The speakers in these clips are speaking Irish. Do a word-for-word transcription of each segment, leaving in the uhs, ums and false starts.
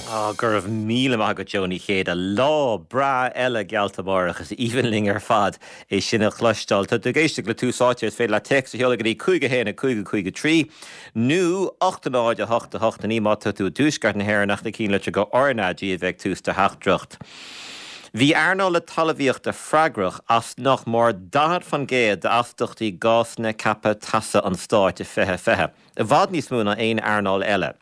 Á, go raibh míle maith agat, Joe Ní Chéide. Lá breá eile geallta amárach. Is aoibhinn linn ar fad é sin a chloisteáil. Tá tú ag éisteacht le Tús Áite. Is féidir leat téacs a sheoladh go dtí cúig a haon a cúig a cúig a trí nó ocht a náid a hocht a hocht a naoi má tá tú i dtuaisceart na hÉireann, ach na ceannlitreacha go R N A G a bheidh ag tús do theachtaireacht. Bhí earnáil na talmhaíochta freagrach as nach mór daichead faoin gcéad d'astaíochtaí gásanna ceaptha teasa an stáit i fiche fiche, i bhfad níos mó ná aon earnáil eile.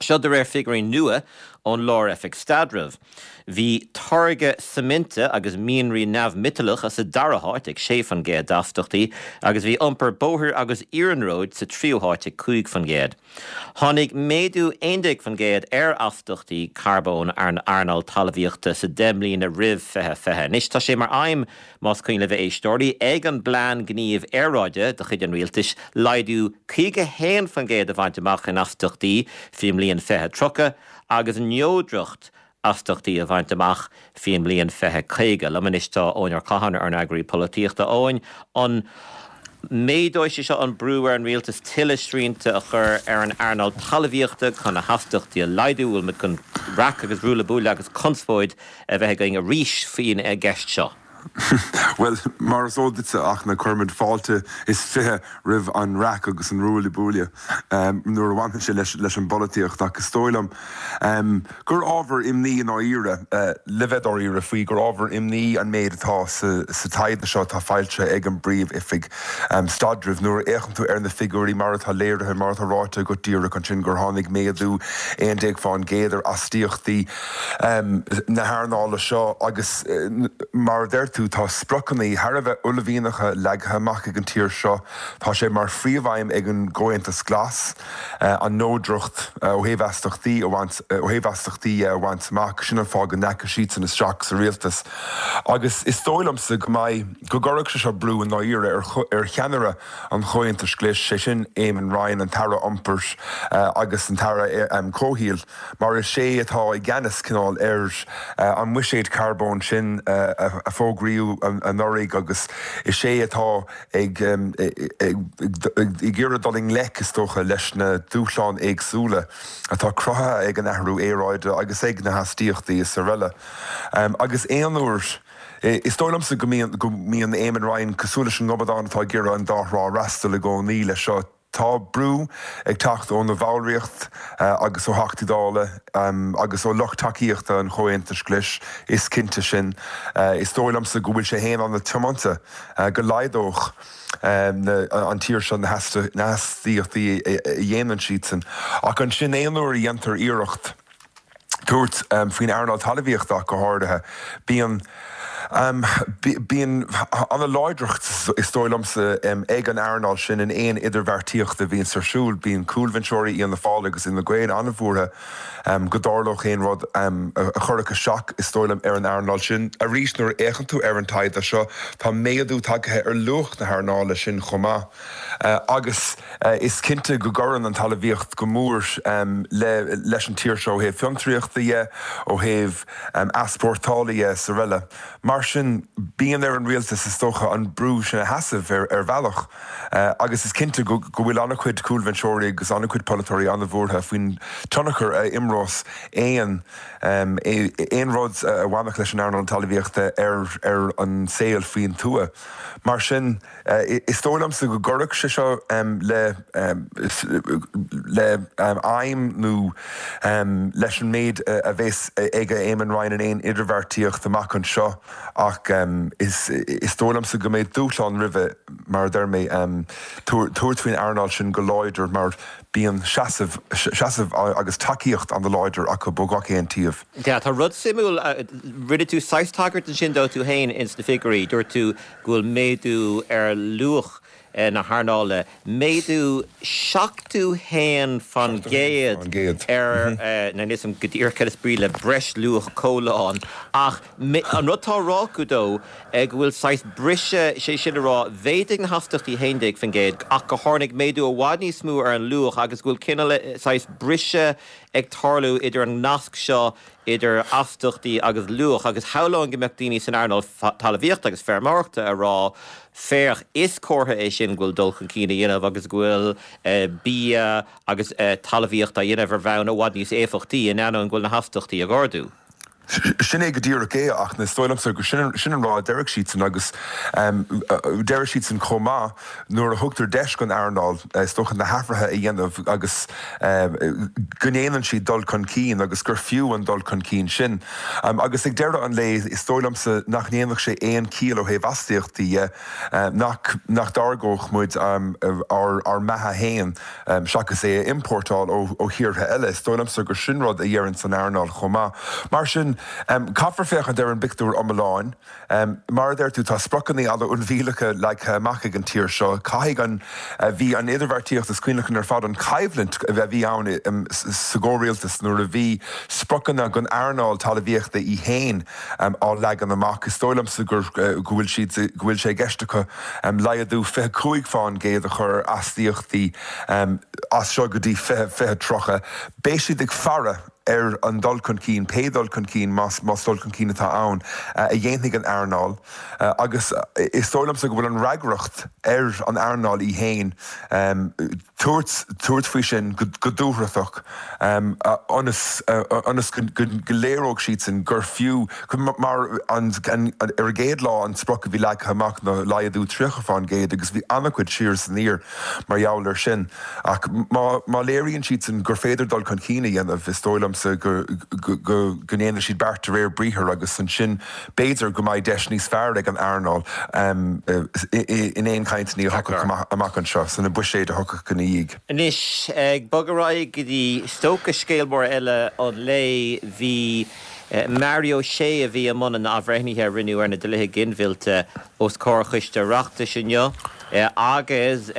Seo de réir figiúirí nua ón Lár-Oifig Staidrimh. Bhí táirgeadh suiminte agus mianraí neamh-mhiotalacha sa dara háit ag sé faoin gcéad d'astaíochtaí agus bhí iompar bóthair agus iarnróid sa tríú háit ag cúig faoin gcéad. Tháinig méadú aon déag faoin gcéad ar astaíochtaí carbóin ar an earnáil talmhaíochta sa deich mbliana roimh fiche fiche. Anois tá sé mar aidhm, más cuimhin libh a éisteoirí, ag an bPlean Gnímh Aeráide de chuid an rialtais laghdú caoga haon faoin gcéad a bhaint amach in astaíochtaí faoin mbliain fiche tríocha agus neodracht astaíochtaí a bhaint amach faoin mbliain fiche caoga. Liom anois tá Eoin Ó Catháin, ár n-eagraí polaitíochta. Eoin, an méadóidh sé seo an brú ar an rialtas tuilleadh srianta a chur ar an earnáil talmhaíochta chun na hastaíochtaí a laghdú? Bhfuil muid chun raic agus ruaille buaille agus conspóid a bheith againn arís faoin gceist seo? Bhuel, mar is eol duitse, ach na cuirimid fáilte is fiche roimh an raic agus an ruaille buaille nuair a bhaineann sé leis leis an bpolaitíocht, ach is dóigh liom gur ábhar imní i ndáiríre, le bheith dáiríre faoi, gur ábhar imní an méid atá sa sa taighde seo atá foilsithe ag an bPríomh-Oifig Staidrimh. Nuair a fhéachann tú ar na figiúirí mar atá léirithe, mar atá ráite agat díreach ansin, gur tháinig méadú aon déag fán gcéad ar astaíochtaí na hearnála seo agus mar a deir tú, tá spriocanna thar a bheith uaillmhianacha leagtha amach ag an tír seo. Tá sé mar phríomhaidhm ag an gComhaontas Glas an neodracht ó thaobh astaíochtaí a bhaint ó thaobh astaíochtaí a bhaint amach. Sin an fáth go ndeachaigh siadsan isteach sa rialtas. Agus is dóigh liomsa go mbeidh, go gcuirfidh sé seo brú i ndáiríre ar ar cheannaire an Chomhaontais Ghlais, sé sin Eamon Ryan, an tAire Iompair agus an tAire Comhshaoil, mar is é atá i gceannas cineál ar an mbuiséad carbóin sin a fógraíodh anuraidh agus is é atá ag ag iarraidh dul i ngleic, is dócha, leis na dúshláin éagsúla atá cruthaithe ag an athrú aeráide agus ag na hastaíochtaí is araile. Agus aon uair, is dóigh liomsa go mbíonn go mbíonn Eamon Ryan cosúil leis an ngobadán atá ag iarraidh an dá thrá a fhreastal i gcónaí leis seo. Tá brú ag teacht óna bhallraíocht agus ó Theachtaí Dála agus ó lucht tacaíochta an Chomhaontais Ghlais, is cinnte sin. Is dóigh liomsa go bhfuil sé féin an-tiomanta go laghdódh an tír seo na hastaíochtaí a dhéanann siadsan. Ach ansin aon uair a dhéantar iarracht tabhairt faoin earnáil talmhaíochta ach go háirithe, bíonn bíonn an-láidreacht, is dóigh liomsa, ag an earnáil sin in aon idirbheartaíocht a bhíonns ar siúl. Bíonn cúlbhinseoirí Fhianna Fáil agus Fhine Gael an-bhuartha go dtarlódh aon rud a chuirfeadh isteach, is dóigh liom, ar an earnáil sin. Arís, nuair a fhéachann tú ar an taighde seo, tá méadú tagtha ar luach na hearnála sin chomh maith agus is cinnte go gcuireann an talmhaíocht go mór le leis an tír seo ó thaobh fiontraíochta dhe, ó thaobh easpórtála dhe is araile. Mar sin, bíonn ar an rialtas, is dócha, an brú sin a sheasamh ar ar bhealach agus is cinnte go go bhfuil an-chuid cúlbhinseoirí agus an-chuid polaiteoirí an-bhuartha faoin tionchar a imreos aon aon rud a bhainfeadh leis an earnáil talmhaíochta ar ar an saol faoin tuath. Mar sin, is dóigh liomsa go gcuirfeadh sé seo le le aidhm nó leis an méid a bheas ag Eamon Ryan in aon idirbheartaíocht amach anseo ach is is dóigh liomsa go mbeidh dúshlán roimhe, mar a deir mé, tabhairt faoin earnáil sin go láidir mar bíonn seasamh seasamh agus tacaíocht an-láidir acu ó gach aon taobh. Yeah, tá rud suimiúil, rinne tú saghas tagairt ansin dó tú féin ins na figiúirí, dúirt tú go bhfuil méadú ar luach na hearnála, méadú seachtó haon faoin gcéad ar, níl a fhios agam go díreach cad is brí le breisluach comhlán, ach an rud atá á rá acu dó go bhfuil saghas briseadh, sé sin a rá, mhéadaigh na hastaíochtaí haon déag faoin gcéad ach go tháinig méadú i bhfad níos mó ar an luach agus go bhfuil cineál saghas briseadh ag tarlú idir an nasc seo idir astaíochtaí agus luach agus shamhlóinn go mbeadh daoine san earnáil talmhaíochta agus feirmeoireachta a rá féach is comhartha é sin go bhfuil dul chun cinn a dhéanamh agus go bhfuil bia agus talmhaíocht á dhéanamh ar bhonn i bhfad níos éifeachtaí in ainneoin go bhfuil na hastaíochtaí ag ardú. Sin é go díreach é ach is dóigh liomsa gur sin sin an rud a déarfadh siadsan agus deir siadsan chomh maith nuair a thugtar deis don earnáil is dócha na hathruithe a dhéanamh agus go ndéanann siad dul chun cinn agus gur fiú an dul chun cinn sin. Agus ag deireadh an lae is dóigh liomsa nach ndéanfadh sé aon chiall ó thaobh astaíochtaí dhe nach nach dtáirgeodh muid ár ár mbeatha féin seachas é a iompórtáil ó ó thíortha eile. Is dóigh liomsa gur sin rud a dheireann san earnáil chomh maith. Mar sin caithfear féachaint ar an bpictiúr iomlán. Mar a deir tú tá spriocanna uaillmhianacha leagtha amach ag an tír seo. Caithfidh an bhí an idirbheartaíocht is cuimhin linn ar fad an choimhlint a bhí ann sa gcomhrialtas nuair a bhí spriocanna don earnáil talmhaíochta í féin á leagan amach. Is dóigh liomsa gur go bhfuil siad go bhfuil sé i gceist acu laghdú fiche cúig faoin gcéad a chur ar astaíochtaí as seo go dtí fiche fiche tríocha. Beidh siad ag faire ar an dul chun cinn, pé dul chun cinn, más más dul chun cinn atá ann, a dhéanfaidh an earnáil agus is dóigh liomsa go bhfuil an fhreagracht ar an earnáil í féin tabhairt tabhairt faoi sin go go dúthrachtach ionas ionas go go léireodh siadsan gur fiú mar an ar an gcéad lá an sprioc a bhí leagtha amach ná laghdú tríocha faoin gcéad agus bhí an-chuid siar is aniar mar gheall air sin ach má má léiríonn siadsan gur féidir dul chun cinn a dhéanamh is dóigh liomsa go go go ndéanfaidh siad beart de réir briathair agus ansin b'fhéidir go mbeidh deis níos fearr ag an earnáil in aon chainteanna a thiocfadh amach anseo sna buiséid a thiocfadh ina dhiaidh. Anois, ag bogadh ar aghaidh go dtí is dócha scéal mór eile an lae, bhí Mary O'Shea a bhí i mbun an athbhreithnithe a rinneadh ar na dlíthe ginmhillte os comhair Choiste Oireachtais inniu agus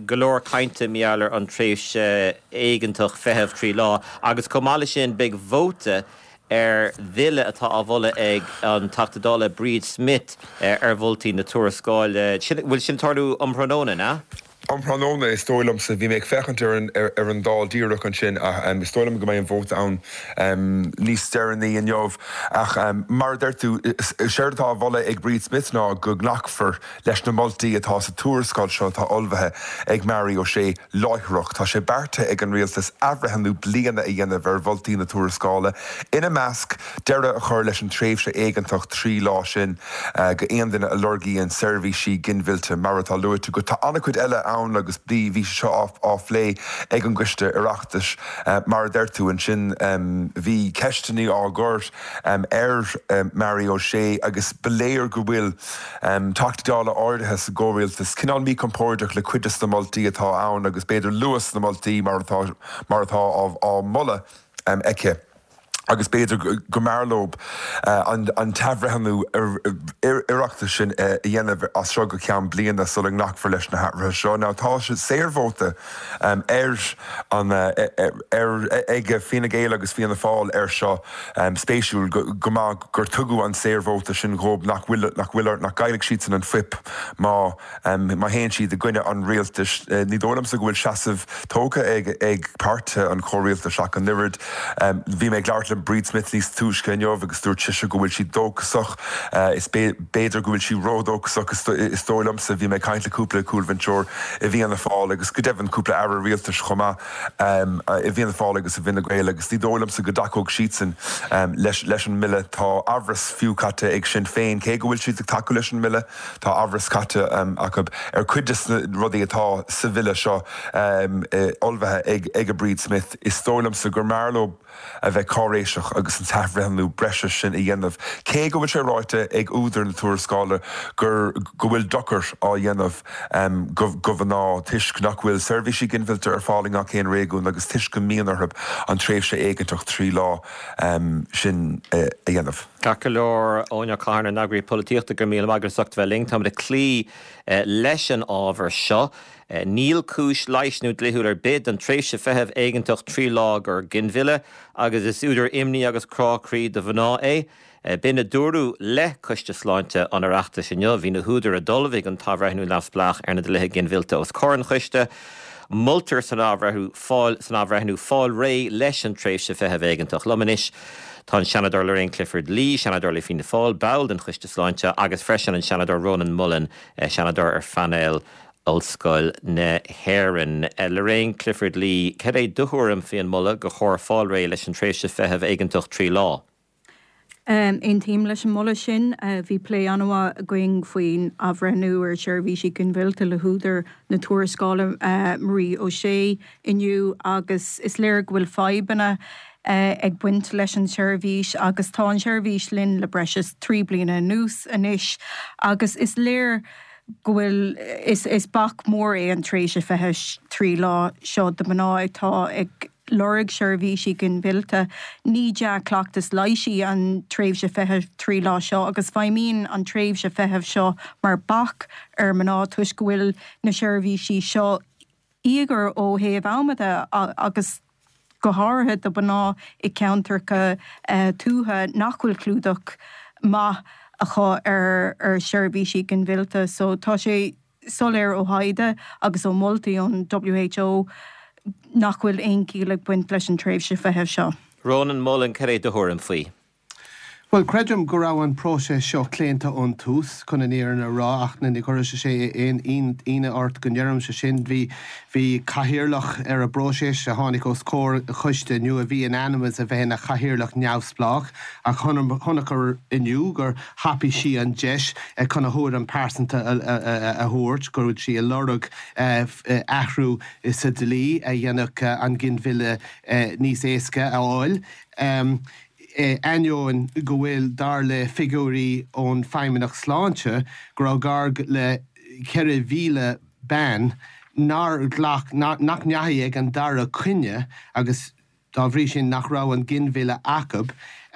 go leor cainte mar gheall ar an tréimhse éigeantach feithimh trí lá agus chomh maith leis sin beidh vóta ar bhille atá á mholadh ag an Teachta Dála Bríd Smith ar mholtaí na tuarascála. Bhfuil sin tarlú um thráthnóna, an ea? Um thráthnóna, is dóigh liomsa. Bhí mé ag féachaint ar an ar an Dáil díreach ansin ach is dóigh liom go mbeidh an vóta ann níos deireanaí inniu. Ach mar a deir tú, séard atá á mholadh ag Bríd Smith ná go nglacfar leis na moltaí atá sa tuarascáil seo atá ullmhaithe ag Mary O'Shea láithreach. Tá sé beartaithe ag an rialtas athbhreithniú bliana a dhéanamh ar mholtaí na tuarascála, ina measc, deireadh a chur leis an tréimhse éigeantach trí lá sin go aon duine a lorgaíonn seirbhísí ginmhillte, mar atá luaite agat. Tá an-chuid eile ann agus bhí bhí sé seo á phlé ag an gcoiste Oireachtais. Mar a deir tú ansin, bhí ceisteanna á gcur ar Mary O'Shea agus ba léir go bhfuil Teachtaí Dála áirithe sa gcomhrialtas cineál míchompordach le cuid de na moltaí atá ann agus b'fhéidir luas na moltaí mar atá mar atá á moladh aici. agus b'fhéidir go mb'fhearr leo an t-athbhreithniú Oireachtais sin a dhéanamh as seo go ceann bliana sula nglacfar leis na hathruithe seo. Now tá saorvóta ar an ar ag Fine Gael agus Fianna Fáil air seo. Spéisiúil go maith gur tugadh an saorvóta sin dhóibh nach bhfuil nach bhfuil nach gcaillfidh siadsan an fuip má má théann siad i gcoinne an rialtais. Ní dóigh liomsa go bhfuil seasamh tógtha ag ag páirtithe an chomhrialtais ach an oiread. Bhí mé ag labhairt le Bríd Smith níos túisce inniu agus dúirt sise go bhfuil sí dóchasach. Is b'fhéidir go bhfuil sí ródhóchasach is dóigh liomsa. Bhí mé ag caint le cúpla cúlbhinseoir i bhFianna Fáil agus go deimhin cúpla aire rialtais chomh maith i bhFianna Fáil agus i bhFine Gael agus ní dóigh liomsa go dtacódh siadsan leis leis an mbille. Tá amhras fiú caite ag Sinn Féin, cé go bhfuil siad ag tacú leis an mbille, tá amhras caite acu ar chuid de na rudaí atá sa bhille seo ullmhaithe ag ag Bríd Smith. Is dóigh liomsa gur mb'fhearr leo a bheith cáiréiseach agus an t-athbhreithniú breise sin a dhéanamh, cé go bhfuil sé ráite ag údair na tuarascála gur go bhfuil dochar á dhéanamh go go mhná toisc nach bhfuil seirbhísí ginmhillte ar fáil i ngach aon réigiún agus toisc go mbíonn orthu an tréimhse éigeantach trí lá sin a dhéanamh. Ceart go leor, Eoin Ó Catháin, ár n-eagraí polaitíochta, go raibh míle maith agat as ucht a bheith linn. Táimid ag cloí leis an ábhar seo. Níl cúis leighis nó dlíthiúil ar bith don tréimhse feithimh éigeantach trí lá gur ginmhilleadh agus is údar imní agus crá croí do mhná é. B'in a dúradh le Coiste Sláinte an Oireachtais inniu. Bhí na húdair a d'ullmhaigh an t-athbhreithniú neamhspleách ar na dlíthe ginmhillte os comhair an choiste. Moltar san athbhreithniú fáil san athbhreithniú fáil réidh leis an tréimhse feithimh éigeantach. Liom anois tá an Seanadóir Lorraine Clifford Lee, Seanadóir le Fianna Fáil, ball den Choiste Sláinte agus freisin an Seanadóir Rónán Mullen, eh, Seanadóir ar phainéal Ollscoil na hÉireann. Eh, Lorraine Clifford Lee, cad é do thuairim faoin moladh gur chóir fáil réidh leis an tréimhse feithimh éigeantach trí lá? Um, Aontaím leis an moladh sin uh, bhí plé an-mhaith againn faoin athbhreithniú ar seirbhísí ginmhillte le húdar na tuarascála uh, Marie O'Shea inniu agus is léir go bhfuil fadhbanna uh, ag baint leis an seirbhís agus tá an seirbhís linn le breis is trí bliana anuas anois agus is léir go bhfuil is, is bac mór é an tréimhse feithimh trí lá seo do mhná atá ag lorg seirbhísí ginmhillte ní dea-chleachtas leighis í an tréimhse feithimh trí lá seo agus feidhmíonn an tréimhse feithimh seo mar bac ar mná toisc go bhfuil na seirbhísí seo íogair ó thaobh ama de agus go háirithe do mhná i gceantracha tuaithe nach bhfuil clúdach maith acu ar ar seirbhísí ginmhillte, so tá sé soiléir ó thaighde agus ó mholtaí ón WHO nach bhfuil aon chiall ag baint leis an tréimhse feithimh seo. Rónán Mullen cad é do thuairim faoi. Well creidim go raibh an próiseas seo claonta ón tús chun an fhírinne a rá ach ní chuirfidh sé aon ionadh ort go ndeirim sé sin bhí bhí cathaoirleach ar an bpróiseas a tháinig os comhair choiste inniu a bhí in ainm is a bheith ina chathaoirleach neamhspleách ach chonaiceamar inniu gur thapaigh sí an deis chun a thuairim pearsanta a thabhairt go raibh sí ag lorg athrú sa dlí a dhéanfadh an ginmhilleadh níos éasca a fháil. Ainneoin go bhfuil dar le figiúirí ón Feidhmeannacht Sláinte go raibh gar le ceithre mhíle bean nár ghlac nach ndeachaigh ag an dara coinne agus dá bhrí sin nach raibh an ginmhilleadh acu.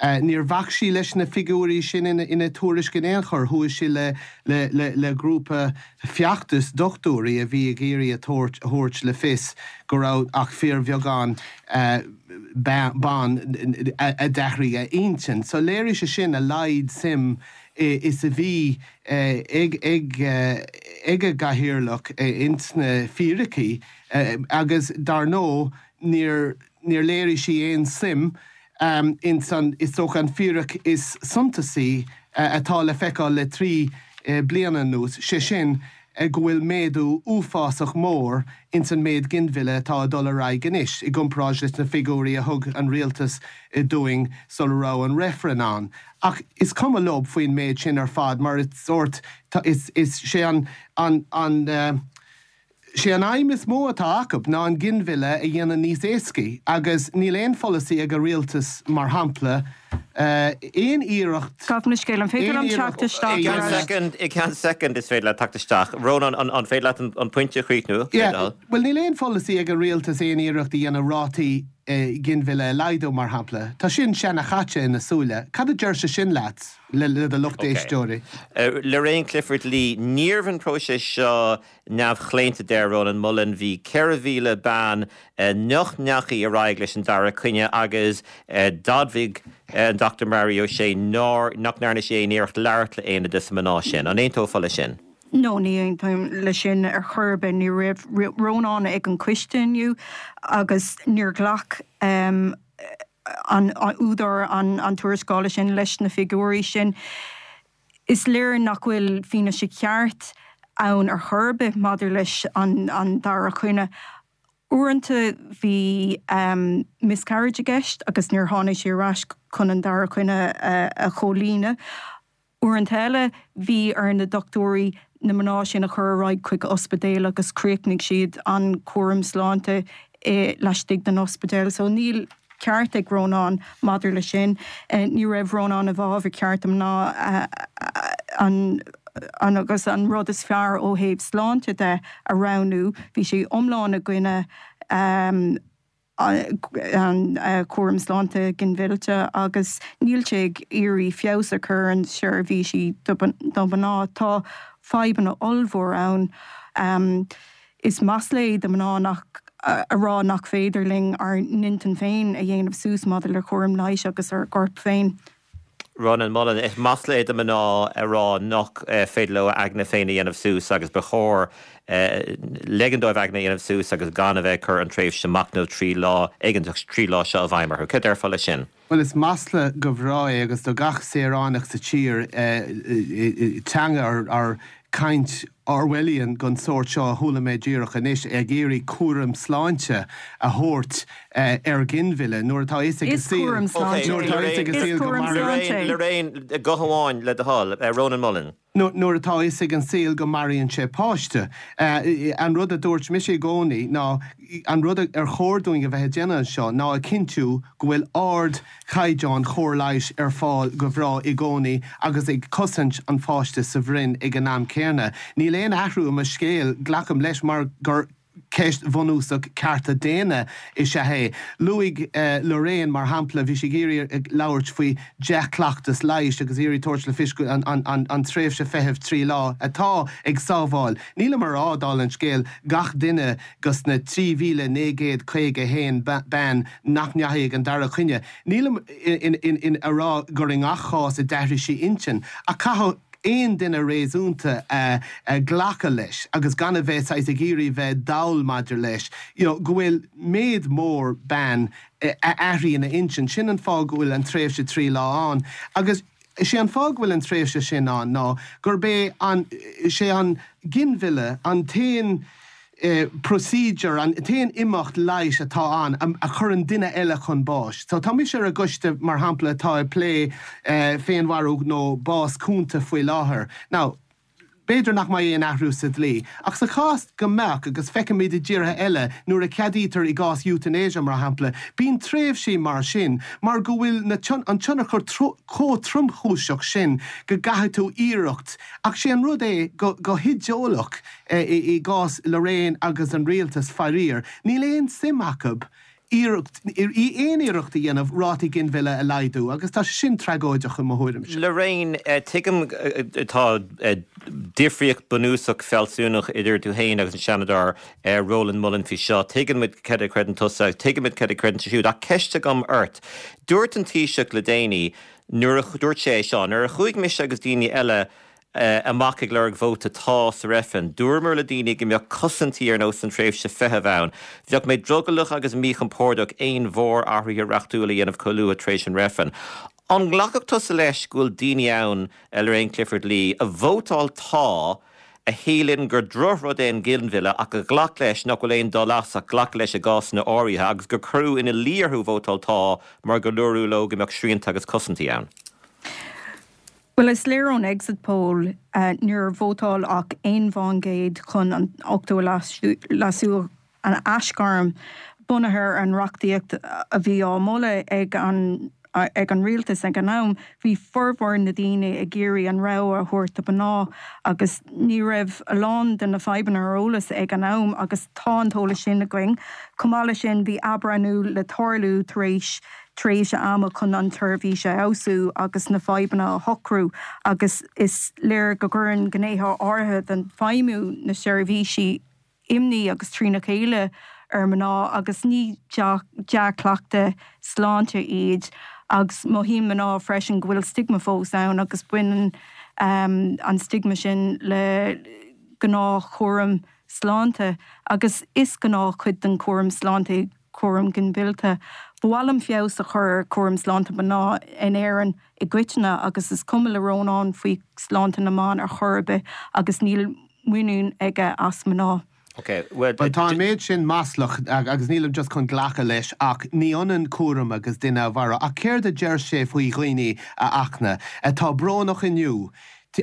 Níor bhac sí leis na figiúirí sin ina tuairisc in aon chor, chuaigh sí le le le grúpa feachtais dochtúirí a bhí ag iarraidh a thabhairt le fios go raibh ach fíorbheagán ban a d'athraigh a intinn. So léirigh sé sin a laghad suim is a bhí ag ag ag an gcathaoirleach ins na fíricí agus dar ndóigh níor níor léirigh sí aon suim ins an is dócha an fíric is suntasaí atá le feiceáil le trí bliana anuas, sé sin go bhfuil méadú uafásach mór ins an méid ginmhilleadh atá ag dul ar aghaidh anois, i gcomparáid leis na figiúirí a thug an rialtas dúinn sula raibh an reifreann ann. Ach is cuma leo faoin méid sin ar fad mar is sórt is is sé an an an Sé an aidhm is mó atá acu ná an ginmhilleadh a dhéanamh níos éascaí agus níl aon pholasaí ag an rialtas mar shampla aon iarracht Gabh mo leithscéal, an féidir liom teacht isteach I gceann soicind, i gceann soicind is féidir leat teacht isteach. Rónán, an féidir leat an pointe a chríochnú? Yeah, bhuel níl aon pholasaí ag an rialtas aon iarracht a dhéanamh rátaí ginmhilleadh a laghdú mar shampla. Tá sin seanchaite ina súile. Cad a deir sé sin leat le le do lucht éisteoirí? Lorraine Clifford Lee, ní raibh an próiseas seo neamhchlaonta deir Rónán Mullen, bhí ceithre mhíle bean nach ndeachaigh ar aghaidh leis an dara coinne agus d'admhaigh an Dr Mary O'Shea nár nach ndearna sí aon iarracht labhairt le aon de na mná sin. An aontófá leis sin? No ní aontaím leis sin ar chor ar bith ní raibh Rónán ag an coiste inniu agus níor ghlac um, an, an údar an, an tuarascála sin leis na figiúirí sin. Is léir nach bhfuil fianaise ceart ann ar chor ar bith maidir leis an, an dara coinne. Uaireanta bhí um, miscarriage i gceist agus níor tháinig sé ar ais chun an dara coinne a, a chomhlíonadh. Uaireanta eile bhí ar na dochtúirí na mná sin a chur ar aghaidh chuig ospidéal agus chríochnaigh siad an cúram sláinte e, laistigh den ospidéal, so níl ceart ag Rónán maidir leis sin. E, ní raibh Rónán i bhfabhar ceart mná an an agus an rud is fearr ó thaobh sláinte de a roghnú, bhí sé iomlán i gcoinne um, an cúram sláinte ginmhillte agus níl sé ag iarraidh feabhas a chur ar seirbhísí do mhná tá fadhbanna ollmhór ann. Um, is masla é do mná nach a rá nach féidir linn ár n-intinn féin a dhéanamh suas maidir le cúram leighis agus ár gcorp féin. Rónán Mullen, is masla é do mná a rá nach féidir leo a aigne féin a dhéanamh suas agus ba chóir ligean dóibh aigne a dhéanamh suas agus gan a bheith ag cur an tréimhse machnaimh trí lá éigeantach trí lá seo i bhfeidhm orthu. Cad déarfá leis sin? Bhuel, is masla go bhreá é agus do gach saoránach sa tír teanga ar caint Orwellian den sórt seo a chuala mé díreach anois ag iarraidh cúram sláinte a thabhairt ar ghinmhilleadh nuair atá fhios ag an saol nuair atá fhios ag an saol go maraíonn Lorraine, guth amháin le do thoil, Rónán Mullen. Nuair atá fhios ag an saol go maraíonn sé páiste. An rud a dúirt mise i gcónaí ná an rud ar chóir dúinn a bheith ag déanamh anseo ná a chinntiú go bhfuil ardchaighdeán chóir leighis ar fáil go bhreá i gcónaí agus ag cosaint an pháiste sa bhroinn ag an am céanna. Níl aon athrú i mo scéal, glacaim leis mar gur ceist bhunúsach cearta daonna is ea é. Luaigh Lorraine, mar shampla, bhí sí ag iarraidh labhairt faoi dea-chleachtas leighis agus iarraidh tabhairt le fios go an tréimhse feithimh trí lá atá ag sábháil. Nílim a rá, dála an scéil, gach duine dos na trí mhíle naoi gcéad caoga a haon bean nach ndeachaigh ag an dara coinne. Nílim a rá gur i ngach chás a d'athraigh sí intinn, ach caithfidh aon duine réasúnta a glacadh leis agus gan a bheith saghas ag iarraidh bheith dall maidir leis, you know, go bhfuil méid mór ban a athraíonn a intinn. Sin an fáth go bhfuil an tréimhse trí lá ann. Agus is é an fáth go bhfuil an tréimhse sin ann ná gurb é an, is é an ginmhilleadh an t-aon procedure, an t-aon imeacht leighis atá ann a chuireann duine eile chun báis. So tá mise ar an gcoiste, mar shampla, atá ag plé féinmharú nó bás cúnta faoi láthair. Now, b'fhéidir nach mbeidh aon athrú sa dlí, ach sa chás go mbeadh, agus feicimid i dtíortha eile nuair a ceadaítear i gcás euthanasia, mar shampla, bíonn tréimhsí mar sin mar go bhfuil na an tionchar chomh tromchúiseach sin go gcaithfidh tú iarracht, ach sé an rud é go go hidéalach, I gcás Lorraine agus an rialtas, faraor, níl aon suim acu iarracht, aon iarracht a dhéanamh rátaí ginmhilleadh a laghdú agus tá sé sin tragóideach i mo thuairimse. Lorraine, tuigim tá difríocht bunúsach fealsúnach idir tú féin agus an Seanadóir Rónán Mullen faoi seo. Tuigimid cad a chreideann tusa agus tuigimid cad a chreideann sé siúd ach ceist agam ort. Dúirt an Taoiseach le déanaí nuair a dúirt sé é seo, nuair a chuaigh mise agus daoine eile amach ag lorg vóta 'Tá' sa reifreann. Dúramar le daoine go mbeadh cosaintí ar nós an tréimhse feithimh ann. Bheadh mé drogallach agus míchompordach aon mhórathruithe reachtúla a dhéanamh chomh luath tar éis an reifrinn. An nglacfadh tusa leis go bhfuil daoine ann, a Lorraine Clifford-Lee, a vótáil 'Tá', a shíleann gur drochrud é an ginmhilleadh ach a ghlac leis nach bhfuil aon dul as ach glacadh leis i gcásanna áirithe agus gur cuireadh ina luí orthu vótáil 'Tá' mar gur dúradh leo go mbeadh srianta agus cosaintí ann? Bhuel, is léir ón exit poll níor vótáil ach aon faoin gcéad chun an ochtó leasú a aisghairm, bunaithe ar an reachtaíocht a bhí á moladh ag an ag an rialtas ag an am. Bhí formhór na daoine ag iarraidh an rogha a thabhairt do mhná agus ní raibh a lán de na fadhbanna ar eolas ag an am agus tá an t-eolas sin againn. Chomh maith leis sin, bhí athbhreithniú le tarlú tar éis tréimhse ama chun an tseirbhís a fheabhsú agus na fadhbanna a shocrú agus is léir go gcuireann gnéithe áirithe den feidhmiú na seirbhísí imní agus trína chéile ar mná agus ní dea-chleachtadh sláinte iad agus mothaíonn mná freisin go bhfuil stigma fós ann agus baineann an stigma sin le gnáthchúram sláinte agus is gnáthchuid den chúram sláinte é cúram ginmhillte. Ba mhaith liom feabhas a chur ar chúram sláinte mná in Éirinn i gcoitinne agus is cuma le Rónán faoi shláinte na mban ar chor ar bith agus níl muinín aige as mná. Ok, bhuel, Bhuel, tá an méid sin maslach agus nílim just chun glacadh leis ach ní ionann cúram agus duine a mharú. Ach céard a deir sé faoi dhaoine, a Fhachtna, atá brónach inniu?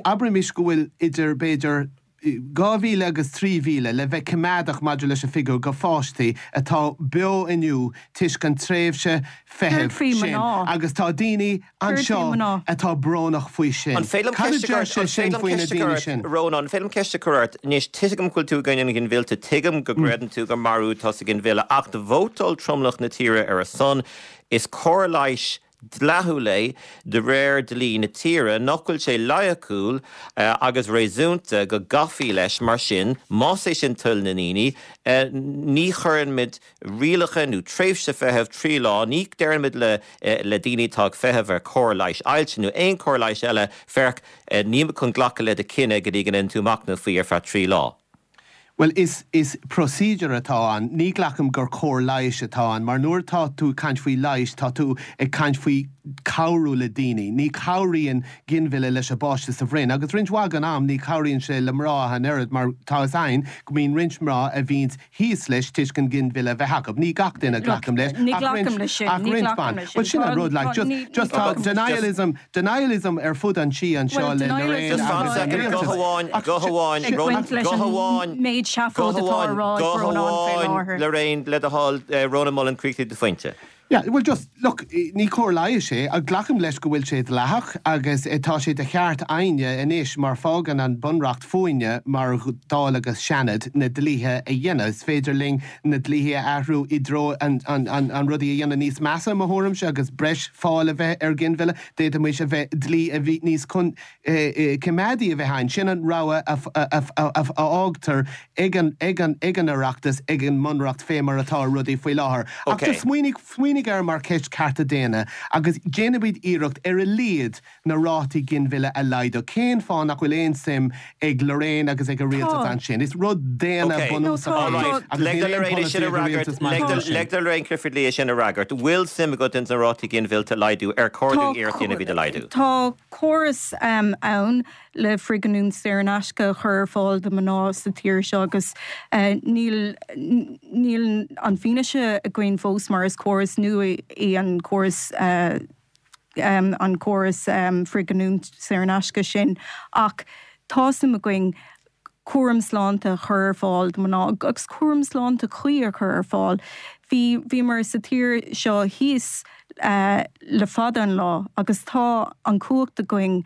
Abraimis go bhfuil idir, b'fhéidir, dhá mhíle agus trí mhíle, le bheith coimeádach maidir leis an bhfigiúr, de pháistí atá beo inniu toisc an tréimhse Céard feithimh faoi sin mná? agus tá daoine Céard faoi anseo mná? atá brónach faoi sin. An féidir liom Cad a ceist a deir chur sé an féidir sin liom faoi na ceist a chur daoine ort, sin? Rónán, an féidir liom ceist a chur ort? Anois, tuigim go bhfuil tú i gcoinne an ghinmhillte, tuigim go gcreideann tú gur marú atá sa ghinmhilleadh, ach do vótáil tromlach na tíre ar a son. Is cóir leighis dleathúil é de réir dlí na tíre, nach bhfuil sé loighciúil agus réasúnta go gcaithfí leis mar sin, más é sin toil na ndaoine, ní chuireann muid rialacha nó tréimhse feithimh trí lá, ní deireann muid le le daoine atá ag feitheamh ar chóir leighis ailse nó aon chóir leighis eile, féach, níl muid chun glacadh le do chinneadh go dtí go ndéanann tú machnamh faoi ar feadh trí lá. Bhuel, is is procedure atá ann. Ní ghlacaim gur cóir leighis atá ann, mar nuair atá tú ag caint faoi leighis, tá tú ag caint faoi cabhrú le daoine. Ní chabhraíonn ginmhilleadh leis an bpáiste sa bhroinn, agus roinnt mhaith den am ní chabhraíonn sé le mná ach an oiread, mar tá fhios againn go mbíonn roinnt mná a bhíonns thíos leis toisc an ginmhilleadh a bheith acu. Ní gach duine, glacaim leis, ach roinnt, ach roinnt ban. Bhuel, sin an rud, like, just, just tá denialism, denialism ar fud an tí anseo le Lorraine agus an rialtas. Guth amháin, guth amháin, guth amháin, méid seafóid atá á rá ag Rónán fé láthair. Lorraine, le do thoil, Rónán Mullen, críochnaigh do phointe. Yeah, well just, look, ní cóir leighis é, ach glacaim leis go bhfuil sé dleathach agus tá sé de cheart againne anois mar fágann an Bunreacht fúinne mar Dáil agus Seanad na dlíthe a dhéanamh. Is féidir linn na dlíthe a athrú i dtreo an, an, an, an rudaí a dhéanamh níos measa, mo thuairimse, agus breis fáil a bheith ar ghinmhilleadh. D'fhéadfaimis a bheith dlí a bhí níos con, coimeádaí a bheith ann. Sin an rogha a, a, a, a, a fhágtar ag an, ag an, ag an Oireachtas, ag an mBunreacht fé mar atá rudaí faoi láthair. Ach Okay. just smaoinigh, smaoinigh air mar ceist cearta daonna agus déanaimid iarracht ar a laghad na rátaí ginmhilleadh a laghdú. Cén fáth nach bhfuil aon suim ag Lorraine agus ag a rialtas ansin? Is rud daonna bunúsach é agus Lig níl do aon Lorraine sin polasaí a ag an fhreagairt. rialtas maidir leis sin. Lig do Lorraine Clifford-Lee é sin a fhreagairt. Bhfuil suim agat ins na rátaí ginmhillte a laghdú ar chóir dúinn iarracht a dhéanamh iad a laghdú? Tá córas um, ann le frithghiniúint saor in aisce a chur ar fáil do mná sa tír seo agus uh, níl níl an fianaise againn fós mar is córas nua é an córas uh, um, an córas um, frithghiniúint saor in aisce sin ach tá suim againn cúram sláinte a chur ar fáil do mná agus cúram sláinte cuí a chur ar fáil. Bhí bhíomar sa tír seo thíos uh, le fada an lá agus tá an cumhacht againn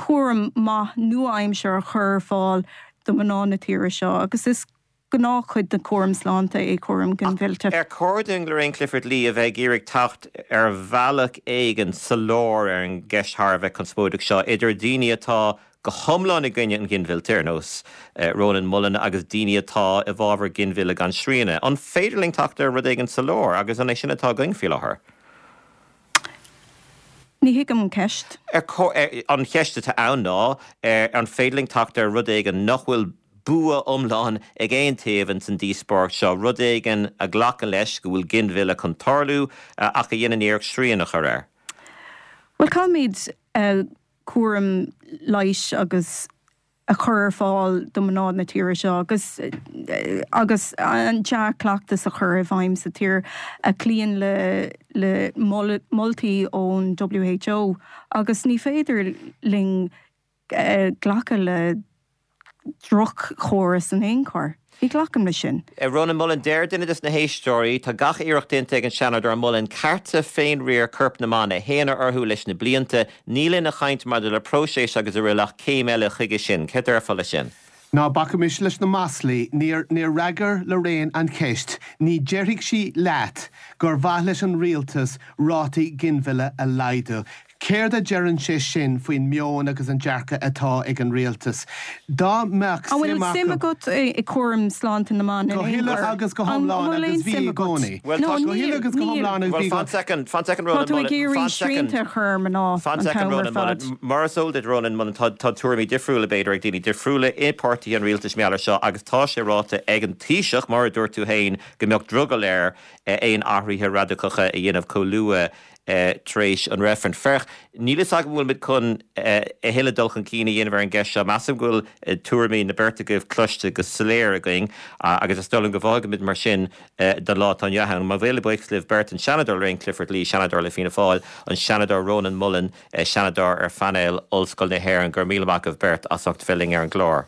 cúram maith nua-aimseartha a chur ar fáil do mná na tíre seo agus is gnáthchuid de cúram sláinte é cúram ginmhillte. Ar chóir dúinn Lorraine Clifford-Lee a bheith ag iarraidh teacht ar bhealach éigin sa lár ar an gceist thar a bheith conspóideach seo idir daoine atá go hiomlán i gcoinne an ghinmhillte ar nós Rónán Mullen agus daoine atá i bhfabhar ginmhilleadh gan srianadh. An féidir linn teacht ar rud éigin sa lár agus an é sin atá againn faoi láthair? Ní thuigim an ceist. Ar an cheist atá ann ná ar an féidir linn teacht ar rud éigin nach bhfuil bua iomlán ag aon taobh in san díospóireacht seo, rud éigin a ghlacann leis go bhfuil ginmhilleadh chun tarlú ach a dhéanann iarracht srian a chur air. Well caithfimid uh, cúram leighis agus a chur ar fáil do mná na tíre seo agus agus an dea-chleachtas a chur i bhfeidhm sa tír a chloíonn le le moltaí ón WHO agus ní féidir linn uh, glacadh le drochchóras in aon chor. Ní ghlacaim leis sin. Rónán Mullen deir duine des na héisteoirí tá gach iarracht déanta ag an Seanadóir Mullen cearta féinriar coirp na mban a shéanadh orthu leis na blianta, níl ina chaint maidir le próiseas agus araile ach céim eile chuige sin, cad a déarfá leis sin. Ná bacaimis leis na maslaí, níor níor fhreagair Lorraine an cheist, ní déarfaidh sí leat gur mhaith leis an rialtas rátaí ginmhilleadh a laghdú. Céard a deireann sé sin faoin meon agus an dearcadh atá ag an rialtas. Dá mbeadh An bhfuil suim agat i cúram sláinte na mban Go huile agus go hiomlán agus bhí i gcónaí. Go huile agus go hiomlán agus bhí Fan second, fan second Tá tú ag iarraidh srianta a chur mná Fan an second t-am ar Rónán fad. Mullen. Mar is eol duit Rónán Mullen tá tá tuairimí difriúla b'fhéidir ag daoine difriúla i bpáirtí an rialtais mar seo agus tá sé ráite ag an Taoiseach mar a dúirt tú féin go mbeadh drogall air aon athruithe radacacha a dhéanamh chomh luath tar éis an reifreann. Féach, níl a fhios agam bhfuil muid chun a thuilleadh dul chun cinn a dhéanamh ar an gceist seo. Measaim go bhfuil tuairimí na beirte agaibh cloiste go soiléir againn agus is dóigh liom go bhfágfaimid mar sin don lá atá inniu ann. Mo mhíle buíochas libh beirt an Seanadóir Lorraine Clifford-Lee, Seanadóir le Fianna Fáil, an Seanadóir Rónán Mullen, Seanadóir ar phainéal Ollscoil na hÉireann, go raibh míle maith agaibh beirt as ucht bheith linn ar an gclár.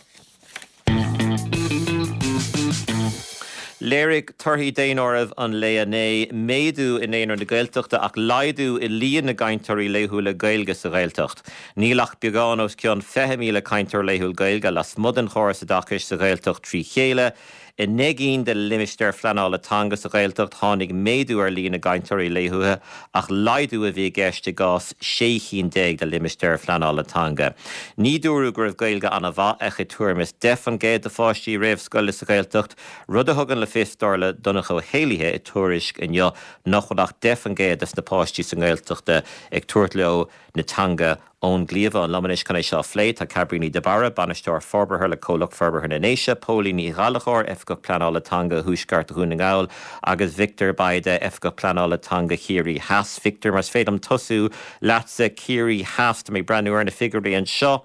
Léirigh torthaí daonáireamh an lae inné méadú i ndaonra na Gaeltachta ach laghdú i líon na gcainteoirí laethúla Gaeilge sa Ghaeltacht. Níl ach beagán os cionn fiche míle cainteoir laethúil Gaeilge lasmuigh den chóras oideachais sa Ghaeltacht trí chéile. I naoi gcinn de limistéir phleanála teanga sa Ghaeltacht tháinig méadú ar líon na gcainteoirí laethúla ach laghdú a bhí i gceist i gcás sé cinn déag de limistéir phleanála teanga. Ní dúradh go raibh Gaeilge an-mhaith ach i tuairim is deich faoin gcéad de pháistí réamhscoile sa Ghaeltacht, rud a thugann le fios dar le Donncha Ó hÉallaithe i Tuairisc inniu nach bhfuil ach deich faoin gcéad des na páistí sa nGaeltacht ag tabhairt leo na teanga ón gcliabhán. Liom anois chun é seo a phlé tá Cabríní de Barra, Bainisteoir Forbartha le Comhlacht Forbartha na nDéise, Póilín Ní Ghallchóir, Oifigeach Pleanála Teanga Thuaisceart Dhún na nGall, agus Victor Bayda, Oifigeach Pleanála Teanga Chiarraí Theas. Victor, más féidir liom tosú leatsa Ciarraí Theas, tá mé ag breathnú ar na figiúirí anseo.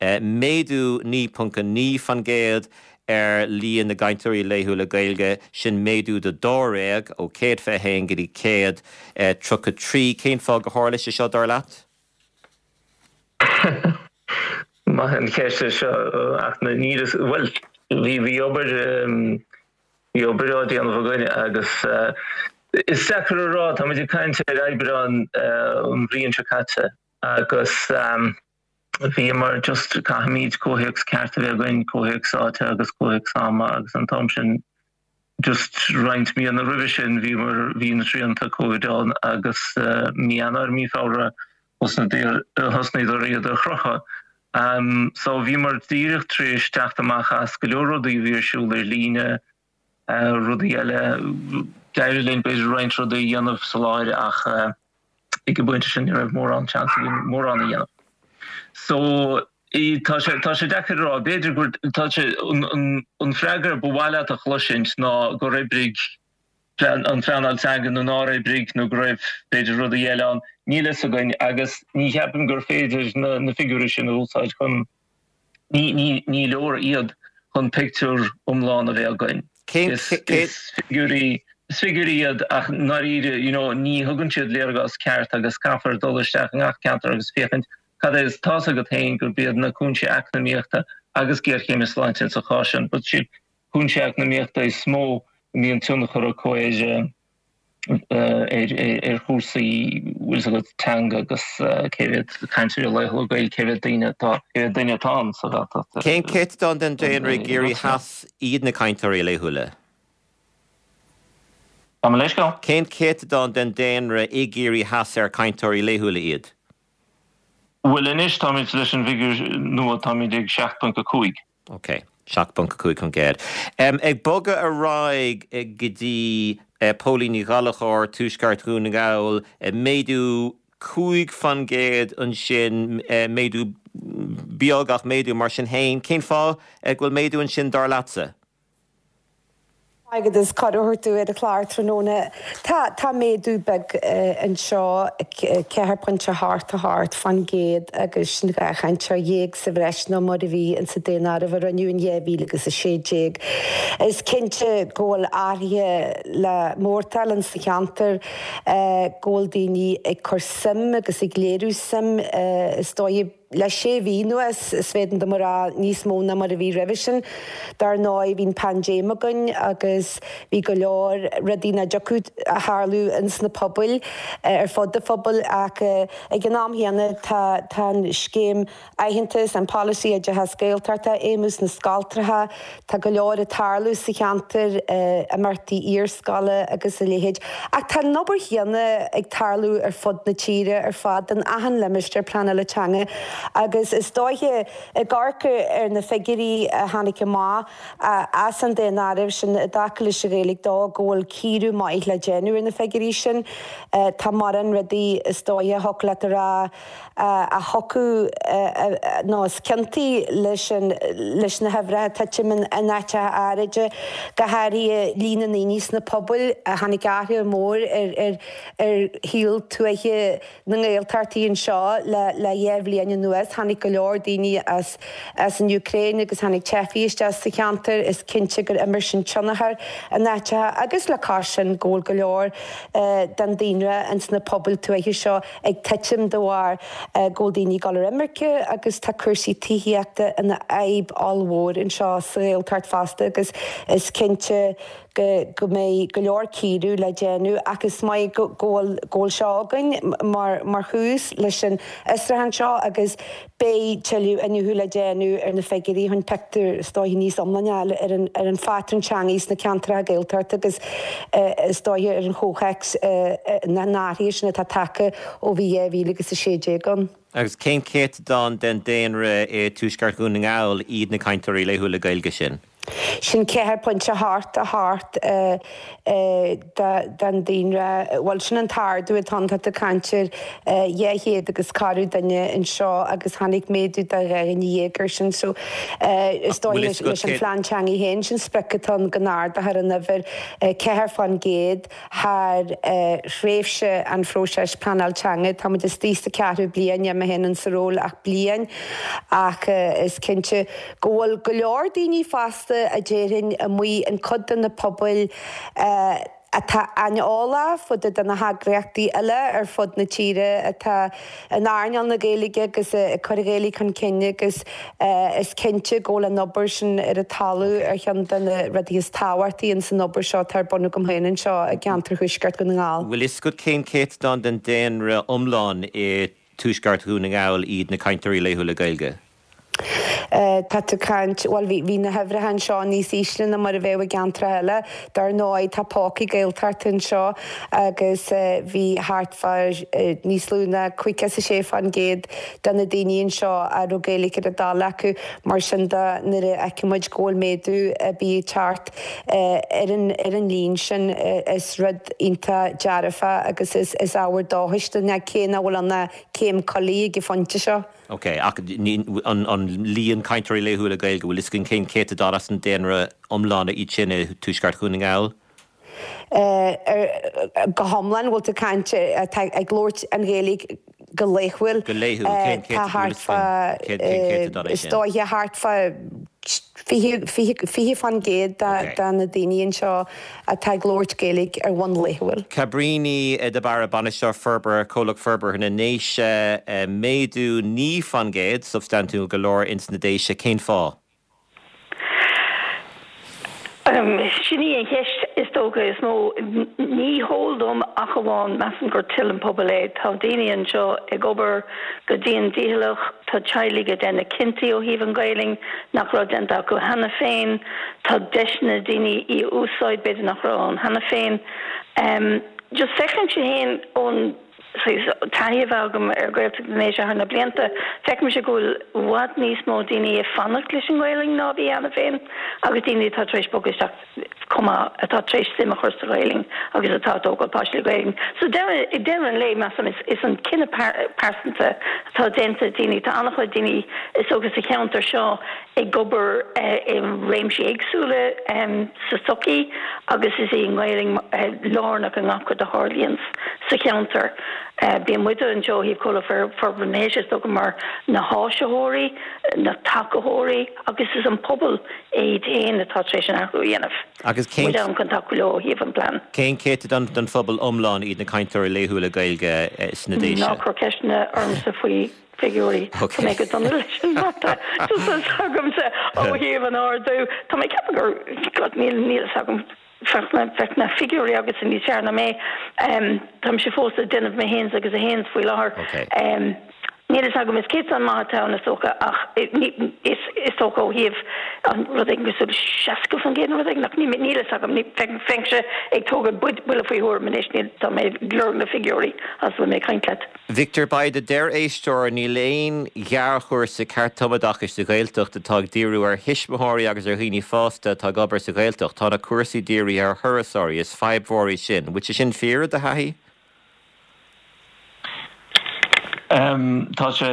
Méadú naoi ponc a naoi faoin gcéad ar líon na gcainteoirí laethúla Gaeilge, sin méadú de dáréag ó céad fiche haon go dtí céad tríocha trí. Cén fáth gur tharla sé seo dar leat? Maith an cheist é seo ach na ní bhuel bhí bhí obair bhí obair á déanamh againn agus is deacair a rá táimid ag caint ar Aibreán an bhliain seo caite agus bhíomar just caithfimid comhthéacs ceart a bheith againn, comhthéacs áite agus comhthéacs ama agus an t-am sin just roinnt míonna roimhe sin bhíomar bhí na srianta Covid ann agus mí Eanáir, mí Feabhra thosnaíodar iad a chrochadh. So bhíomar díreach tar éis teacht amach as go leor rudaí a bhí ar siúl ar líne, rudaí eile, d'éirigh linn b'fhéidir roinnt rudaí a dhéanamh sa láthair ach ag an bpointe sin ní raibh mórán seans againn mórán a dhéanamh. So tá sé tá sé deacair a rá, b'fhéidir gur tá sé an an freagra ba mhaith leat a chloisint ná gur oibrigh an phleanáil teanga nó nár oibrigh nó go raibh b'fhéidir rudaí eile ann, níl fhios againn agus ní cheapaim gur féidir na na figiúirí sin a úsáid chun ní ní ní leor iad chun pictiúr iomlán a bheith againn. Is figiúirí is figiúirí iad ach ndáiríre you know ní thugann siad léargas ceart agus caithfear dul isteach i ngach ceantar agus féachaint cad é is tá's agat féin gurb iad na cúinsí eacnamaíochta agus géarchéime sláinte sa chás sin but siad cúinsí eacnamaíochta is mó a mbíonn tionchar acu ar ar chúrsaí bhfuil fhios agat teanga agus cé mhéad cainteoirí laethúla Gaeilge, cé mhéad daoine atá, cé mhéad duine atá ann sa Ghaeltacht. Cén céatadán den daonra i gCiarraí Theas iad na cainteoirí laethúla? Gabh mo leithscéal? Cén céatadán den daonra i gCiarraí Theas ar cainteoirí laethúla iad? Bhuel anois táimid leis an bhfigiúr nua táimid ag seacht ponc a cúig. Ok, seacht ponc a cúig faoin gcéad. Ag bogadh ar aghaidh go dtí Póilín Ní Ghallchóir, Tuaisceart Dhún na nGall, méadú cúig faoin gcéad ansin, méadú beag ach méadú mar sin féin. Cén fáth go bhfuil méadú ansin dar leatsa? Maith agat as cuireadh a thabhairt domh ar an chlár tráthnóna. Tá, tá méadú beag anseo, ceathair pointe a hocht a hocht faoin gcéad agus sin dhá chainteoir dhéag sa bhreis ná mar a bhí insa daonáireamh a rinneadh in dhá mhíle agus a sé déag. Is cinnte go bhfuil athruithe le maireachtáil insa cheantar, go bhfuil daoine ag cur suim agus ag léiriú suim is dóigh, Le sé mhí anuas, is féidir dom a rá, níos mó ná mar a bhí roimhe sin. Dar ndóigh, bhí an paindéim againn agus bhí go leor rudaí nach dtiocfadh a tharlú ins na pobail, ar fud an phobail ach ag an am chéanna tá tá an scéim aitheantais, an polasaí oideachas Gaeltachta á fheidhmiú sna scoltracha, tá go leor ag tarlú sa cheantar, imeachtaí iarscoile agus a leithéid. Ach tá an obair chéanna ag tarlú ar fud na tíre ar fad, in achan limistéar pleanála teanga agus is dóiche, ag amharc ar na figiúirí a tháinig amach as an daonáireamh sin i dtaca leis an Ghaeilge dó, go bhfuil cíoradh maith le déanamh ar na figiúirí sin. Tá mórán rudaí is dóiche a thiocfadh leat a rá a thiocfadh nó is ciontaí leis an leis na huimhreacha titim in áiteacha áiride, go háirithe líon na ndaoine sna pobail. Tháinig athrú mór ar ar ar shaol tuaithe na nGaeltachtaí anseo le le dhá bhliain anuas. Tháinig go leor daoine as as an Úcráin agus tháinig teifigh isteach sa cheantar. Is cinnte gur imir sin tionchar in áiteacha agus le cois sin go bhfuil go leor den daonra ins na pobail tuaithe seo ag titim de bharr go bhfuil daoine ag dul ar imirce agus tá cúrsaí tithíochta ina fhadhb ollmhór anseo sa Ghaeltacht fosta agus is cinnte go go mbeidh go leor cíoradh le déanamh ach is maith go go bhfuil go bhfuil seo againn mar mar thús leis an fhiosrúchán seo agus beidh tuilleadh iniúchadh le déanamh ar na figiúirí chun pictiúr is dóiche níos iomláine a fháil ar an ar an phatrún teanga sna ceantracha Gaeltachta agus is dóiche ar an chomhthéacs na n-athruithe sin atá tagtha ó bhí dhá mhíle agus a sé déag ann. Agus cén céatadán den daonra i Tuaisceart Dhún na nGall iad na cainteoirí laethúla Gaeilge sin? Sin ceathair pointe a hocht a hocht den daonra, bhuel sin an t-ardú atá ann, tá tú ag caint ar dhá chéad agus ceathrú duine anseo agus tháinig méadú de dhá dhuine dhéag air sin so is dóigh leis an phlean teanga féin sin sprioc atá ann go n-ardófar an uimhir ceathair fán gcéad thar thréimhse an phróisis pleanáil teanga. Tá muid istigh sa cheathrú bliain, níl mé féin insa ról ach bliain ach is cinnte go bhfuil go leor daoine fosta a déarfainn amuigh in cuid de na pobail atá aineolach fá dtaobh de na heagraíochtaí eile ar fud na tíre atá in earnáil na Gaeilge agus ag cur an Ghaeilge chun cinn agus is cinnte go bhfuil an obair sin ar an talamh ar cheann de na rudaí is tábhachtaí ins an obair seo atá ar bun agam féin anseo i gceantar Thuaisceart Dhún na nGall. Bhfuil fhios agat cén céatadán den daonra iomlán i dTuaisceart Dhún na nGall iad na cainteoirí laethúla Gaeilge? Tá tú ag caint, bhuel bhí, bhí na huimhreacha anseo níos ísle ná mar a bheadh i gceantracha eile. Dar ndóigh tá pócaí Gaeltachta anseo agus bhí thart fá níos lú ná caoga is a sé fán gcéad de na daoine anseo a raibh Gaeilge ar a dtoil acu. Mar sin de nuair a fheiceann muid go bhfuil méadú ar bith ag teacht ar an, ar an líon sin is rud iontach dearfach agus is, is ábhar dóchais dúinn é cé nach bhfuil ann ach céim collaí ag an phointe seo. Ok, ach an líon cainteoirí laethúla Gaeilge, bhfuil fhios againn cén céatadán as an daonra iomlán iad sin i Tuaisceart Dhún na nGall? Go hiomlán, bhfuil tú ag caint atá ag labhairt an Ghaeilge go laethúil. Go laethúil, cén Tá thart fá, is dóiche thart fá fiche fán gcéad de na daoine anseo atá ag labhairt Gaeilge ar bhonn laethúil. Cabríní de Barra, Bainisteoir Forbartha, Comhlacht Forbartha na nDéise, méadú naoi fán gcéad, substaintiúil go leor ins na Déise, cén fáth? Sin í an cheist is dócha is mó. Ní heol dom ach amháin, measaim gur toil an pobail é. Tá daoine anseo ag obair go dian dícheallach, tá teaghlaigh ag déanamh cinntí ó thaobh an Ghaelainn nach raibh déanta acu cheana féin, tá deiseanna ag daoine í a úsáid b'fhéidir nach raibh ann cheana féin. Just feicimse féin ón. taithí a bheith agam ar Ghaeltacht na nDéise thar na blianta, feicimse go bhfuil i bhfad níos mó daoine ag fanacht leis an nGaelainn ná a bhí cheana féin agus daoine atá tar éis bogadh isteach chomh maith, atá tar éis suim a chur sa Ghaelainn agus atá ag tógáil páistí le Gaelainn. So ag deireadh an lae, measaim, is an cinneadh pearsanta atá déanta ag daoine. Tá an-chuid daoine is dócha sa cheantar seo ag obair i réimsí éagsúla sa tsochaí agus is í an Ghaelainn lárnach i ngach rud a tharlaíonn sa cheantar. Bíonn muide anseo ó thaobh Comhlacht Forbartha na nDéise, is dócha, mar na háisitheoirí, na tacaitheoirí agus is an pobal iad féin atá tar éis an athrú a dhéanamh. Agus cén. Muid ann chun tacú leo ó thaobh an plean. Cén céatadán den phobal iomlán iad na cainteoirí laethúla Gaeilge sna Déise? Ná cuir ceisteanna ormsa faoi figiúirí. Tá mé go dona leis an mata. Just tá fhios agamsa ó thaobh an ardú. Tá mé ag ceapadh gur, God, níl, níl fhios agam. Bheadh na, bheadh na figiúirí agatsa níos fearr ná mé. Táimse fós ag déanamh mo haons agus a haons faoi láthair. Níl fhios agam, is céatadán maith atá ann is dócha ach is, is dócha ó thaobh an rud éigin cosúil le seasca faoin gcéad nó rud éigin ach níl, níl fhios agam. Ní, bheinnse ag tógáil buille faoi thuairim anois, níl, tá mé ag lorg na figiúirí as a bhfuil mé ag caint leat. Victor Bayda, deir éisteoir, Níl aon ghearrchúrsa ceart-tumoideachais sa Ghaeltacht atá ag díriú ar thuismitheoirí agus ar dhaoine fásta atá ag obair sa Ghaeltacht. Tá na cúrsaí dírithe ar thurasóirí. Is fadhb mhór í sin. Bhfuil sé sin fíor i do thaithí? Tá sé,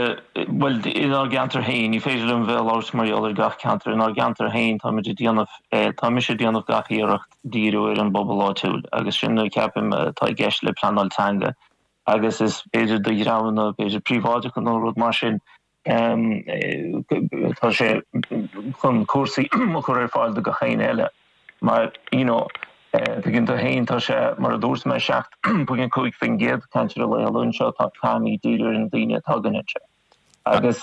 bhuel, inár gceantar féin, ní féidir liom bheith ag labhairt mar gheall ar gach ceantar, inár gceantar féin táimid ag déanamh, tá mise ag déanamh gach iarracht díriú ar an bpobal áitiúil agus sin ceapaim atá i gceist le pleanáil teanga. agus is b'fhéidir do dhreamanna b'fhéidir príobháideacha nó rud mar sin tá sé chun cúrsaí a chur ar fáil do gach éinne eile mar you know tuigeann tú féin tá sé mar a dúirt mé seacht bpointe cúig faoin gcéad cainteoirí laethúla anseo tá caithfimid díriú ar na daoine atá againn anseo agus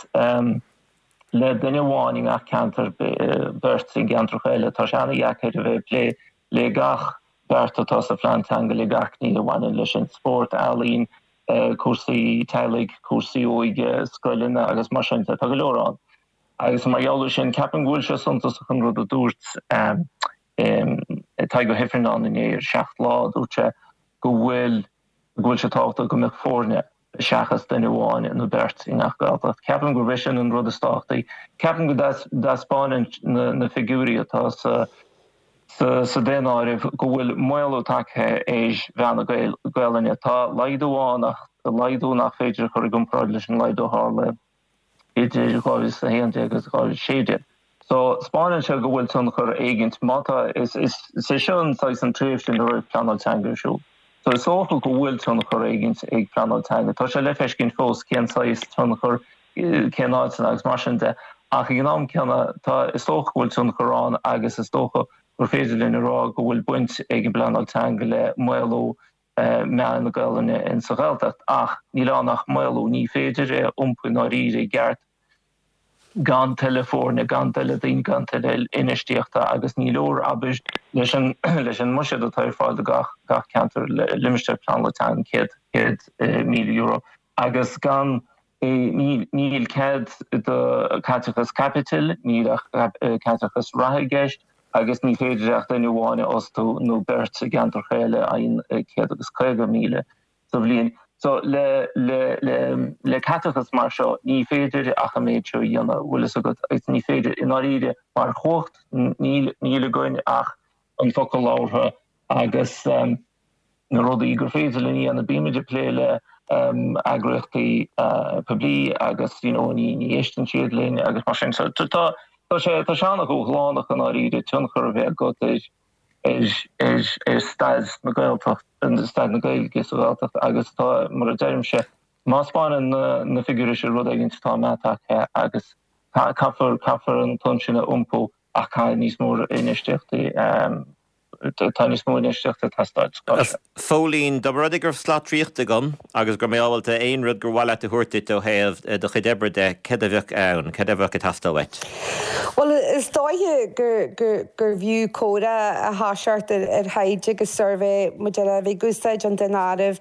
le duine amháin i ngach ceantar beirt i gceantracha eile tá sé an-dheacair a bheith ag plé le gach beart atá sa phlean teanga le gach ní a bhaineann leis an spórt, ealaín, cúrsaí teaghlaigh, cúrsaí óige, scoileanna agus mar sin de. Tá go leor ann. Agus mar gheall air sin, ceapaim go bhfuil sé suntasach an rud a dúirt Tadhg Ó hIfearnáin inné ar Seacht Lá, dúirt sé go bhfuil go bhfuil sé tábhachtach go mbeadh foirne seachas duine amháin nó beirt i ngach Gaeltacht. Ceapaim gurb é sin an rud is tábhachtaí. Ceapaim go dtaispeánann na figiúirí atá sa sa daonáireamh go bhfuil maolú tagtha ar mheath na Gaelainne. Tá laghdú ann ach laghdú nach féidir a chur i gcomparáid leis an laghdú a tharla idir dhá mhíle is a haon déag agus dhá mhíle is a sé déag. So, 'spáineann sé go bhfuil tionchar éigint. Má tá, is é seo an saghas an tréimhse ina raibh pleanáil teanga ar siúl. So is dócha go bhfuil tionchar éigint ag pleanáil teanga. Tá sé le feiscint fós cén saghas tionchar, cén áiteanna agus mar sin de. Ach ag an am céanna, tá, is dócha go bhfuil tionchar ann agus is dócha gur féidir linn a rá go bhfuil baint ag an bpleanáil teanga le maolú meath na Gaelainne in sa Ghaeltacht. Ach níl ann ach maolú, ní féidir é a iompú i ndáiríre i gceart gan tuilleadh foirne, gan tuilleadh daoine, gan tuilleadh infheistíochta agus ní leor, abair, leis an leis an mbuiséad atá ar fáil do gach gach ceantar limistéar pleanála teanga céad céad míle euro agus gan níl níl cead do caiteachas caipitil, níl ach caiteachas reatha i gceist agus ní féidir ach duine amháin a fhostú nó beirt i gceantracha eile a fhaigheann céad agus caoga míle sa bhliain. So le le le le caiteachas mar seo ní féidir ach an méid seo a dhéanamh, bhfuil fhios agat, agus ní féidir, i ndáiríre, mar chumhacht níl níl againn ach an focal labhartha agus na rudaí gur féidir linn a dhéanamh. Bímid ag plé le eagraíochtaí poiblí agus you know ní ní éisteann siad linn agus mar sin. So tá tá sé tá sé an-dhúshlánach i ndáiríre tionchar a bheith agat ar ar staid na Gaeltacht, staid na Gaeilge sa Ghaeltacht agus tá, mar a deirimse, má 'spáineann na figiúirí sin rud éigin tá meath tagtha agus caithfear, caithfear an tonn sin a iompú ach caithfidh níos mó infheistíochtaí, tá níos mó infheistíochta ag teastáil sa chás seo. Phóilín, dá mba rud é go raibh slat draíochta agam agus go raibh mé ábalta aon rud gur mhaith leat a thabhairt duit ó thaobh do chuid oibre de, céard a bheadh ann? Céard a bheadh ag teastáil uait? Bhuel, is dóiche gurbh fhiú comhrá a thoiseacht ar thaighde agus suirbhé maidir le bheith ag úsáid an daonáirimh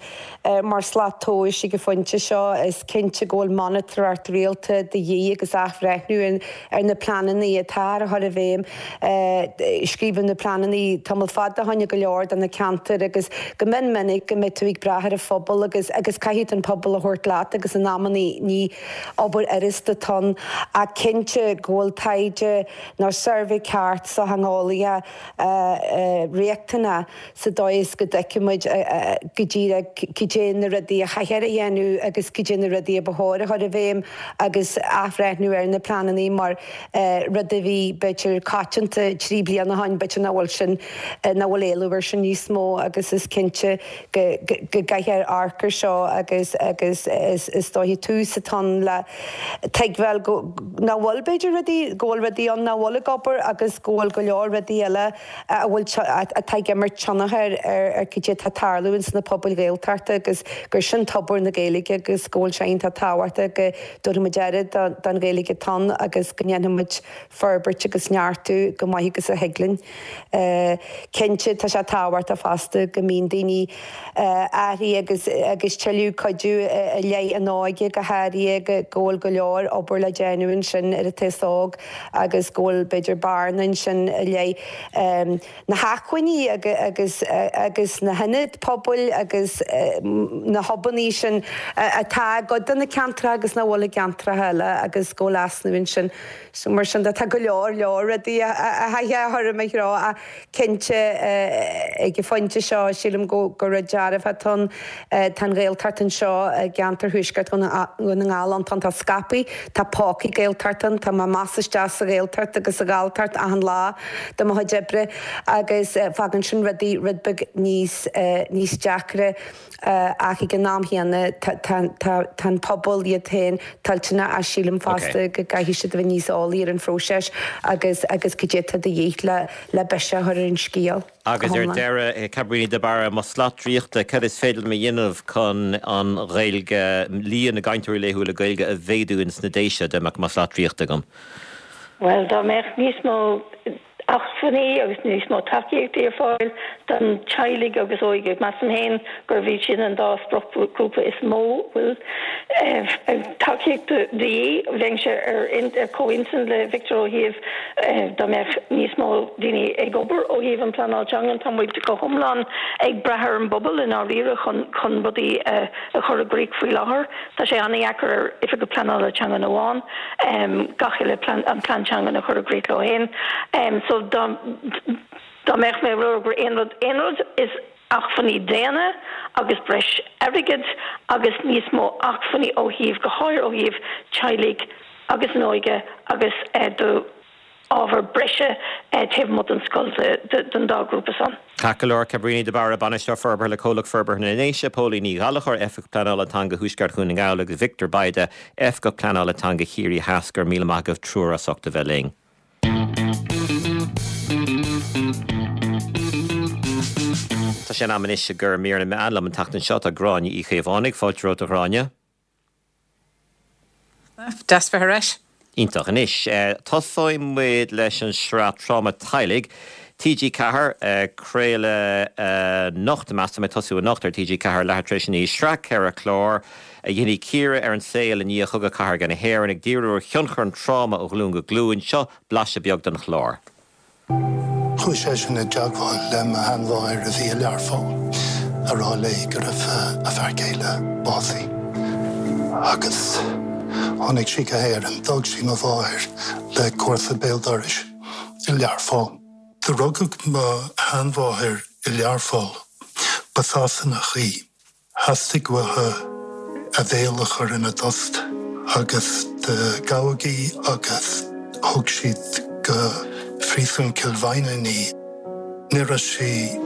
mar shlat tomhais ag an phointe seo. Is cinnte go bhfuil monatóireacht rialta de dhíth agus athbhreithniú ar na pleananna atá á chur i bhfeidhm. Scríobhadh na pleananna tamall fada ó shin i go leor de na ceantair agus go mion minic go mbeidh tú ag brath ar an phobal agus agus caithfidh tú an pobal a thabhairt leat agus in amannaí ní obair fhurasta atá ann ach cinnte go bhfuil taighde nó suirbhé ceart sochtheangeolaíoch riachtanach sa dóigh is go dtuigfidh muid go díreach cad é na rudaí a chaithfear a dhéanamh agus cad é na rudaí a ba chóir a chur i bhfeidhm agus athbhreithniú ar na pleananna mar rud a bhí b'fhéidir coitianta trí bliana ó shin b'fhéidir nach bhfuil sin nach bhfuil éileamh air sin níos mó agus is cinnte go go gcaithfear amharc air seo agus agus is is dóiche tús atá ann le tuigbheáil go nach bhfuil b'fhéidir rudaí go bhfuil rudaí ann nach bhfuil ag obair agus go bhfuil go leor rudaí eile a bhfuil atá ag imirt tionchar ar ar cad é atá ag tarlú ins na pobail Ghaeltachta agus gur sin tobar na Gaeilge agus go bhfuil sé iontach tábhachtach go dtabharfaidh muid aire don Ghaeilge atá ann agus go ndéanfaidh muid forbairt agus neartú go maith agus a thig linn. Cinnte tá sé tábhachtach fosta go mbíonn daoine airí agus agus tuilleadh cuidiú i leith an óige go háirithe go bhfuil go leor obair le déanamh ansin ar an taos óg agus go bhfuil b'fhéidir bearna ansin i leith na hacmhainní agus agus na hionaid pobail agus na hubannaí sin atá i gcuid de na ceantracha agus nach bhfuil i gceantracha eile agus go bhfuil easnamh ansin. So mar sin de tá go leor leor rudaí a chaithfeá a chur i mo threo ach cinnte ag an phointe seo sílim go gur rud dearfach atá ann. Tá an Ghaeltacht anseo i gceantar Thuaisceart Dhún na nGall iontach scaipthe, tá pócaí Gaeltachta ann, tá mé amach is isteach sa Ghaeltacht agus sa Ghalltacht achan lá de mo chuid oibre agus fágann sin rudaí rud beag níos níos deacra. Ach ag an am chéanna tá an pobal iad féin toilteanach ach sílim fosta go gcaithfidh siad a bheith níos eolaí ar an phróiseas agus agus cad é atá de dhíth le le biseach a chur ar an scéal go Agus ar hiomlán. deireadh, Cabríní de Barra, mo shlat draíochta, cad is féidir liom a dhéanamh chun an Ghaeilge, líon na gcainteoirí laethúla Gaeilge a mhéadú ins na Déise, dá mbeadh mo shlat draíochta agam? Bhuel, dá mbeadh níos mó acmhainní agus níos mó tacaíochtaí ar fáil don teaghlaigh agus óige. Measaim féin gurb iad sin an dá spriocghrúpa is mó a bhfuil tacaíocht de dhíth. Bheinnse ar comhintinn le Victor ó thaobh dá mbeadh níos mó daoine ag obair ó thaobh an pleanáil teanga. Tá muid go hiomlán ag brath ar an bpobal i ndáiríre chun chun rudaí a chur i gcrích faoi láthair. Tá sé an-deacair ar Oifigeach Pleanála Teangan amháin gach uile an plean teangan a chur i gcrích leo féin. So dá dá mbeadh mé ag lorg aon rud aon rud is acmhainní daonna agus breis airgid agus níos mó acmhainní ó thaobh go háirithe ó thaobh teaghlaigh agus an óige agus do ábhar breise taobh amuigh den scoil don dá ghrúpa san. Ceart go leor, Cabríona de Barra, Bainisteoir Forbartha le Comhlacht Forbartha na nDéise, Póilín Ní Ghallchóir, Oifigeach Pleanála Teanga Thuaisceart Dhún na nGall agus Victor Bayda, Oifigeach Pleanála Teanga Chiarraí Theas, go raibh míle maith agaibh triúr as ucht a bheith linn. Tá sé in am anois i gcomhair mír na meán. Liom an tseachtain seo tá Gráinne Uí Chaomhánaigh. Fáilte romhat a Ghráinne. Deas bheith ar ais. Iontach. Anois, tosóidh muid leis an sraith Tráma Teaghlaigh, T G ceathair, craoladh anocht, measaim, ag tosú anocht ar T G ceathair, leathuair tar éis a naoi. Sraith ceithre chlár a dhéanfaidh cíoradh ar an saol i ndiaidh Chogadh Cathartha na hÉireann, ag díriú ar thionchar an tráma ó ghlúin go glúin. Seo blaiseadh beag den chlár. Chuaigh seisean i dteagmháil le mo sheanmháthair a bhí i Learpholl a rá léi go raibh a fear céile básaithe. Agus tháinig sí go hÉirinn. D'fhág sí mo mháthair le comharsa béal dorais i Learpholl. Do rugadh mo sheanmháthair i Learpholl. Ba Sasanach í. Theastaigh uathu a béal a chur ina tost agus do gabhadh í agus thug siad go Phríosún Chill Mhaighneann í. Ní raibh sí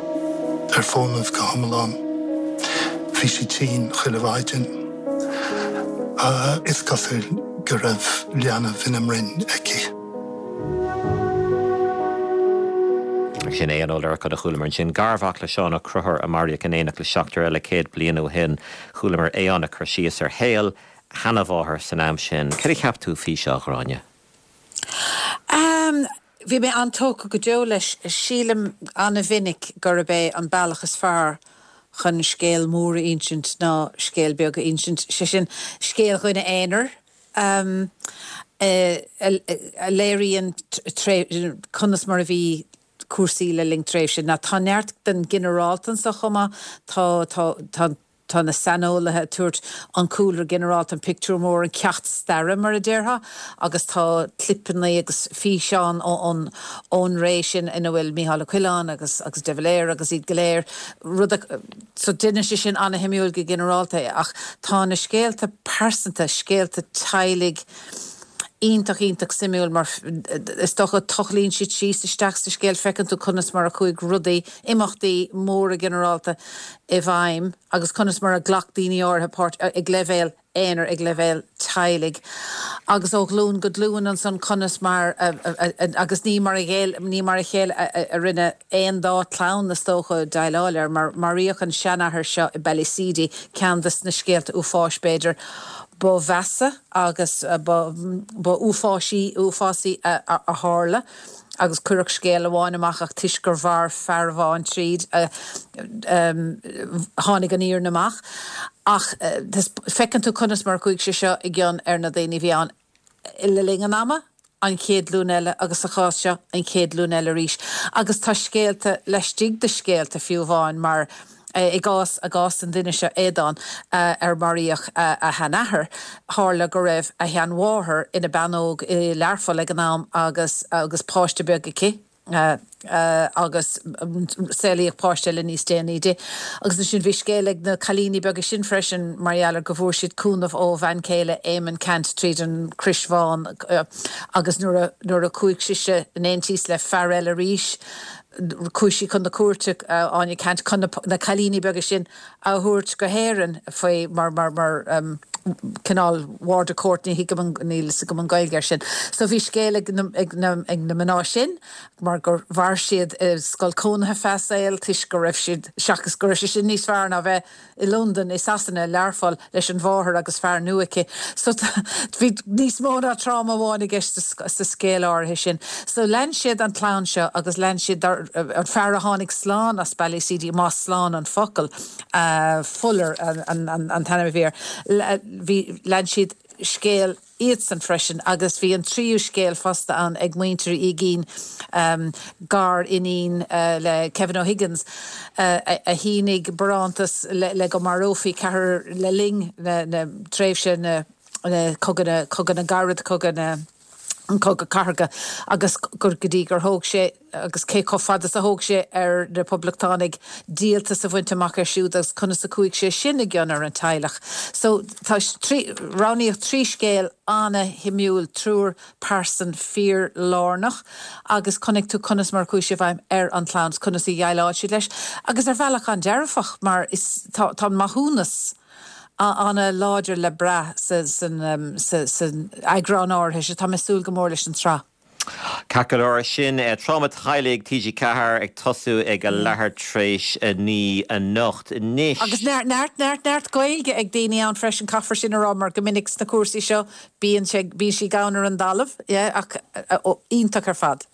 ar fónamh go hiomlán. Bhí sí tinn chuile mhaidin. Is cosúil go raibh leanbh ina mbroinn aici. Sin é Aodhán Ó Lorcáin a chualamar ansin. Garmhac le Seán Ó Conchúir a maraíodh in éineacht le seachtar eile céad bliain ó shin. Chualamar Aodhán ag cur síos ar shaol a sheanmháthar san am sin. Cad a cheap tú faoi seo, a Ghráinne? Bhí mé an-tógtha go deo leis. Sílim an-mhinic gurb é an bealach is fearr chun scéal mór a insint ná scéal beag a insint, sé sin, scéal dhuine aonair a léiríonn conas mar a bhí cúrsaí le linn tréimhse. Now tá neart den ginearálta anso chomh maith, tá, tá, tá, tá na saineolaithe ag tabhairt an cúlra ginearálta, an pictiúr mór, an ceacht staire mar a déarfá, agus tá clipeanna agus físeáin ón, ón ré sin ina bhfuil Mícheál Ó Coileáin agus, agus de Valera agus iad go léir, rud a, so déanann sé sin ana-shuimiúil go ginearálta é. Ach tá na scéalta pearsanta, scéalta teaghlaigh, iontach, iontach suimiúil mar is dócha tochlaíonn siad síos isteach sa scéal, feiceann tú conas mar a chuaigh rudaí, imeachtaí móra ginearálta i bhfeidhm agus conas mar a ghlac daoine áirithe páirt ag leibhéal aonair, ag leibhéal teaghlaigh agus ó ghlúin go glúin ansan conas mar agus ní mar a chéile, ní mar a chéile a rinne aon dá chlann is dócha déileáil air mar maraíodh an seanathair seo i Ballyseedy, ceann de na scéalta uafáis b'fhéidir. ba mheasa agus ba uafáisí, uafásaí a tharla agus cuireadh scéal amháin amach ach toisc gur mhair fear amháin tríd, tháinig an fhírinne amach. Ach feiceann tú conas mar a chuaigh sé seo i gcion ar na daoine a bhí ann le linn an ama. an chéad ghlúin eile agus sa chás seo, an chéad ghlúin eile arís. Agus tá scéalta laistigh de scéalta fiú amháin mar i gcás i gcás an duine seo, Aodán, ar maraíodh a sheanathair, tharla go raibh a sheanmháthair ina bean óg i Learpholl ag an am agus agus páiste beag aici. agus saolaíodh páiste eile níos déanaí di. Agus ansin bhí scéal ag na cailíní beaga sin freisin mar gheall ar go bhfuair siad cúnamh ó bhean chéile Éamonn Ceannt tríd an Chrois Bhán agus nuair a nuair a chuaigh sise in aontíos le fear eile arís chuaigh sí chun na cúirte, Áine Ceannt, chun na cailíní beaga sin a thabhairt go hÉirinn faoi mar mar mar cineál ward of court ní thuigim an níl fhios agam an Ghaeilge air sin. So bhí scéal ag na ag na ag na mná sin mar gur mhair siad i scoil cónaithe feadh a saoil toisc go raibh siad seachas go raibh sé sin níos fearr ná bheith i Londain i Sasana Learpholl leis an mháthair agus fear nua aici. So bhí níos mó ná tráma amháin i gceist sa scéal áirithe sin. So lean siad an chlann seo agus lean siad an fear a tháinig slán as Ballyseedy más slán an focal uh, Fuller an, an, an, an t-ainm a bhí air. Bhí lean siad scéal iadsan freisin agus bhí an tríú scéal fosta ann ag muintir Uí Fhinn um, gar-iníon uh, le Kevin O'Higgins uh, a, a shínigh barántas le, le go marófaí ceathrar le linn na, na tréimhse na, na cogadh cogadh na gcarad cogadh na an cogadh cathartha agus gur go dtí gur thóg sé agus cé chomh fada is a thóg sé ar na poblachtánaigh díoltas a bhaint amach air siúd agus conas a chuaigh sé sin i gcion ar an teaghlach. So tá roghnaíodh trí scéal an-shuimiúil triúr pearsan fíorlárnach agus chonaic tú conas mar chuaigh sé i bhfeidhm ar an chlann conas a dhéileáil siad leis agus ar bhealach an-dearfach mar is tá, tá maithiúnas an-láidir le brath san eagrán áirithe tá mé ag súil go mór leis an tsraith. Ceart go leor sin eh, tráma teaghlaigh TG Ceathair ag tosú ag a leathuair tar éis a naoi anocht anois. Agus neart neart neart neart Gaeilge ag daoine ann freisin caithfear sin a rá mar go minic sna cúrsaí seo bíonn sé bíonn sí gann ar an dtalamh ach iontach ar fad.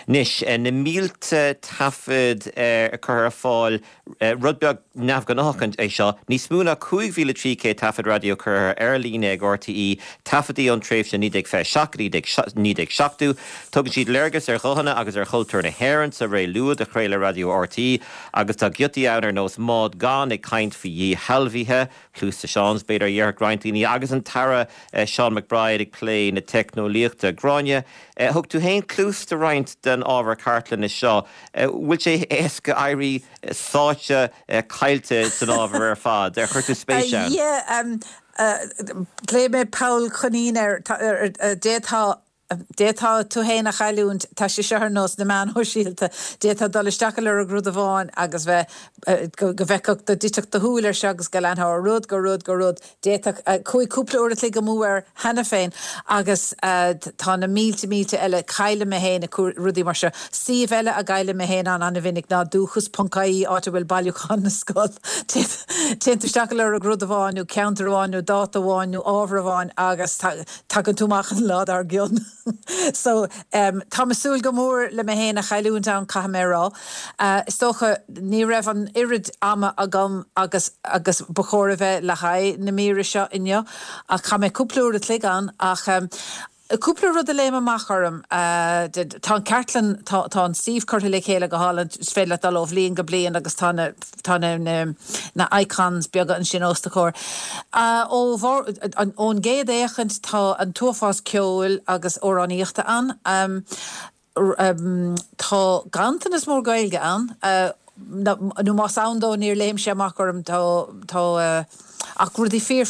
Anois eh, na mílte taifead eh, a chur ar fáil eh, rud beag neamhghnách é seo, níos mó ná cúig mhíle trí chéad taifead raidió curtha ar líne ag RTÉ taifeadtaí ón tréimhse naoi déag fiche seacht naoi déag seachtó, Tugann siad léargas ar ghuthanna agus ar chultúr na hÉireann sa ré luath de chraoladh raidió RTÉ agus tá giotaí ann ar nós Maud Gonne ag caint faoi dhíshealbhaithe, Cluas de Seans b'fhéidir a dhéarfadh roinnt daoine agus an tAire Seán McBride ag plé na teicneolaíochta. Gráinne, thug tú féin cluas do roinnt den ábhar cartlainne seo. Bhfuil sé éasca éirí sáite caillte san ábhar ar fad, ar chuir tú spéis ann? Ghlaoigh mé poll coinín ar d'fhéadfá D'fhéadfá tú féin a chailliúint tá sé seo ar nós na meáin shóisialta, d'fhéadfá dul isteach ag lorg rud amháin agus bheith go bhfeicfeadh do dtitfeadh do shúil air seo agus go leanfá ó rud go rud go rud. D'fhéadfadh chuaigh cúpla uair a chloig amú air cheana féin agus tá na mílte mílte eile caillim mé féin ag rudaí mar seo. Suíomh eile a gcaillim mé féin ann an-mhinic ná dúchas.ie áit a bhfuil bailiúchán na scol. Téann tú isteach ag lorg rud amháin nó ceantar amháin nó dáta amháin nó ábhar amháin agus tagann tú amach an lá dár gcionn. So um, tá mé ag súil go mór le mé féin a chailliúint ann caithfidh mé rá. Uh, is dócha ní raibh an oiread ama agam agus agus ba chóir a bheith le haghaidh na míre seo inniu ach chaith mé cúpla uair a chloig ann ach um, Cúpla rud a léim amach orm uh, tá an cartlann tá an suíomh curtha le chéile go hálainn is féidir leat dul ó bhliain go bliain agus tá na tá na, na, na icons beaga ansin os do chomhair. Uh, ón gcéad fhéachaint tá an t-uafás ceoil agus amhránaíochta ann. Um, um, tá ganntanas mór Gaeilge ann. Uh, nó más ann dó níor léim sé amach orm tá tá uh, ach rudaí fíor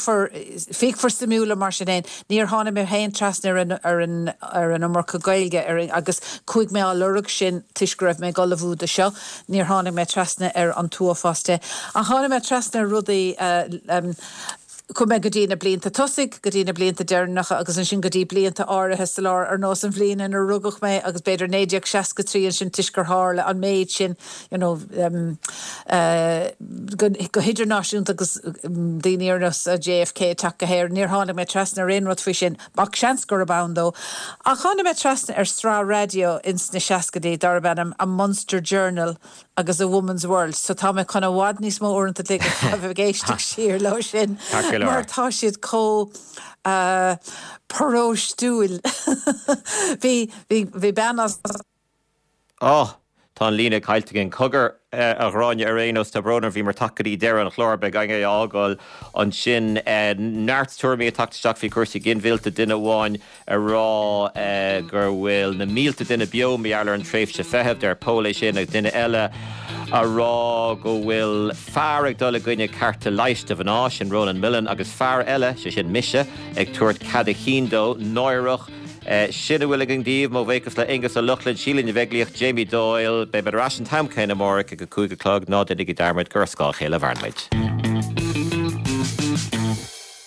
fíor suimiúla mar sin féin, níor tháinig mé féin trasna ar an ar an ar an iomarca Gaeilge ar agus chuaigh mé á lorg sin toisc go raibh mé ag ullmhú do seo, níor tháinig mé trasna ar an t-uafás de. A tháinig mé trasna rudaí uh, um, Chuaigh mé go dtí na blianta tosaigh, go dtí na blianta deireanacha agus ansin go dtí blianta áirithe sa lár ar nós an bhliain inar rugadh mé agus b'fhéidir naoi déag seasca trí ansin toisc gur tharla an méid sin you know, um, uh, go, go hidirnáisiúnta agus um, daoine ar nós JFK teacht go hÉirinn níor tháinig mé trasna ar aon rud faoi sin ach seans gurb ann dó. Ach tháinig mé trasna ar sraith raidió ins na seascaidí darb ainm a Munster Journal agus a Woman's World, so tá mé chun i bhfad níos mó uaireanta a bheith ag éisteacht siar leo sin. Mar tá siad chomh uh, paróistiúil. Bhí bhí bean as Oh, Tá an líne caillte againn cogar a Ghráinne ar aon nós tá brón orm bhíomar tagtha go dtí deireadh an chláir beidh againn é a fhágáil ansin neart tuairimí ag teacht isteach faoi chúrsaí ginmhillte duine amháin ag rá gur bhfuil na mílte duine beo mar gheall ar an tréimhse feithimh deir Pól é sin ag duine eile a rá go bhfuil fear ag dul i gcoinne cearta leighis do mhná sin Ronan Millen agus fear eile sé sin mise ag tabhairt cead a chinn dó náireach Sin a bhfuil againn daoibh mo bhuíochas le Aonghus Ó Lochlainn Síle Ní Bheaglaoich Jamie Doyle, beimid ar ais an t-am céanna amárach ag a cúig a chlog ná déanaigí dearmad gur ar scáth a chéile a mhaireann muid.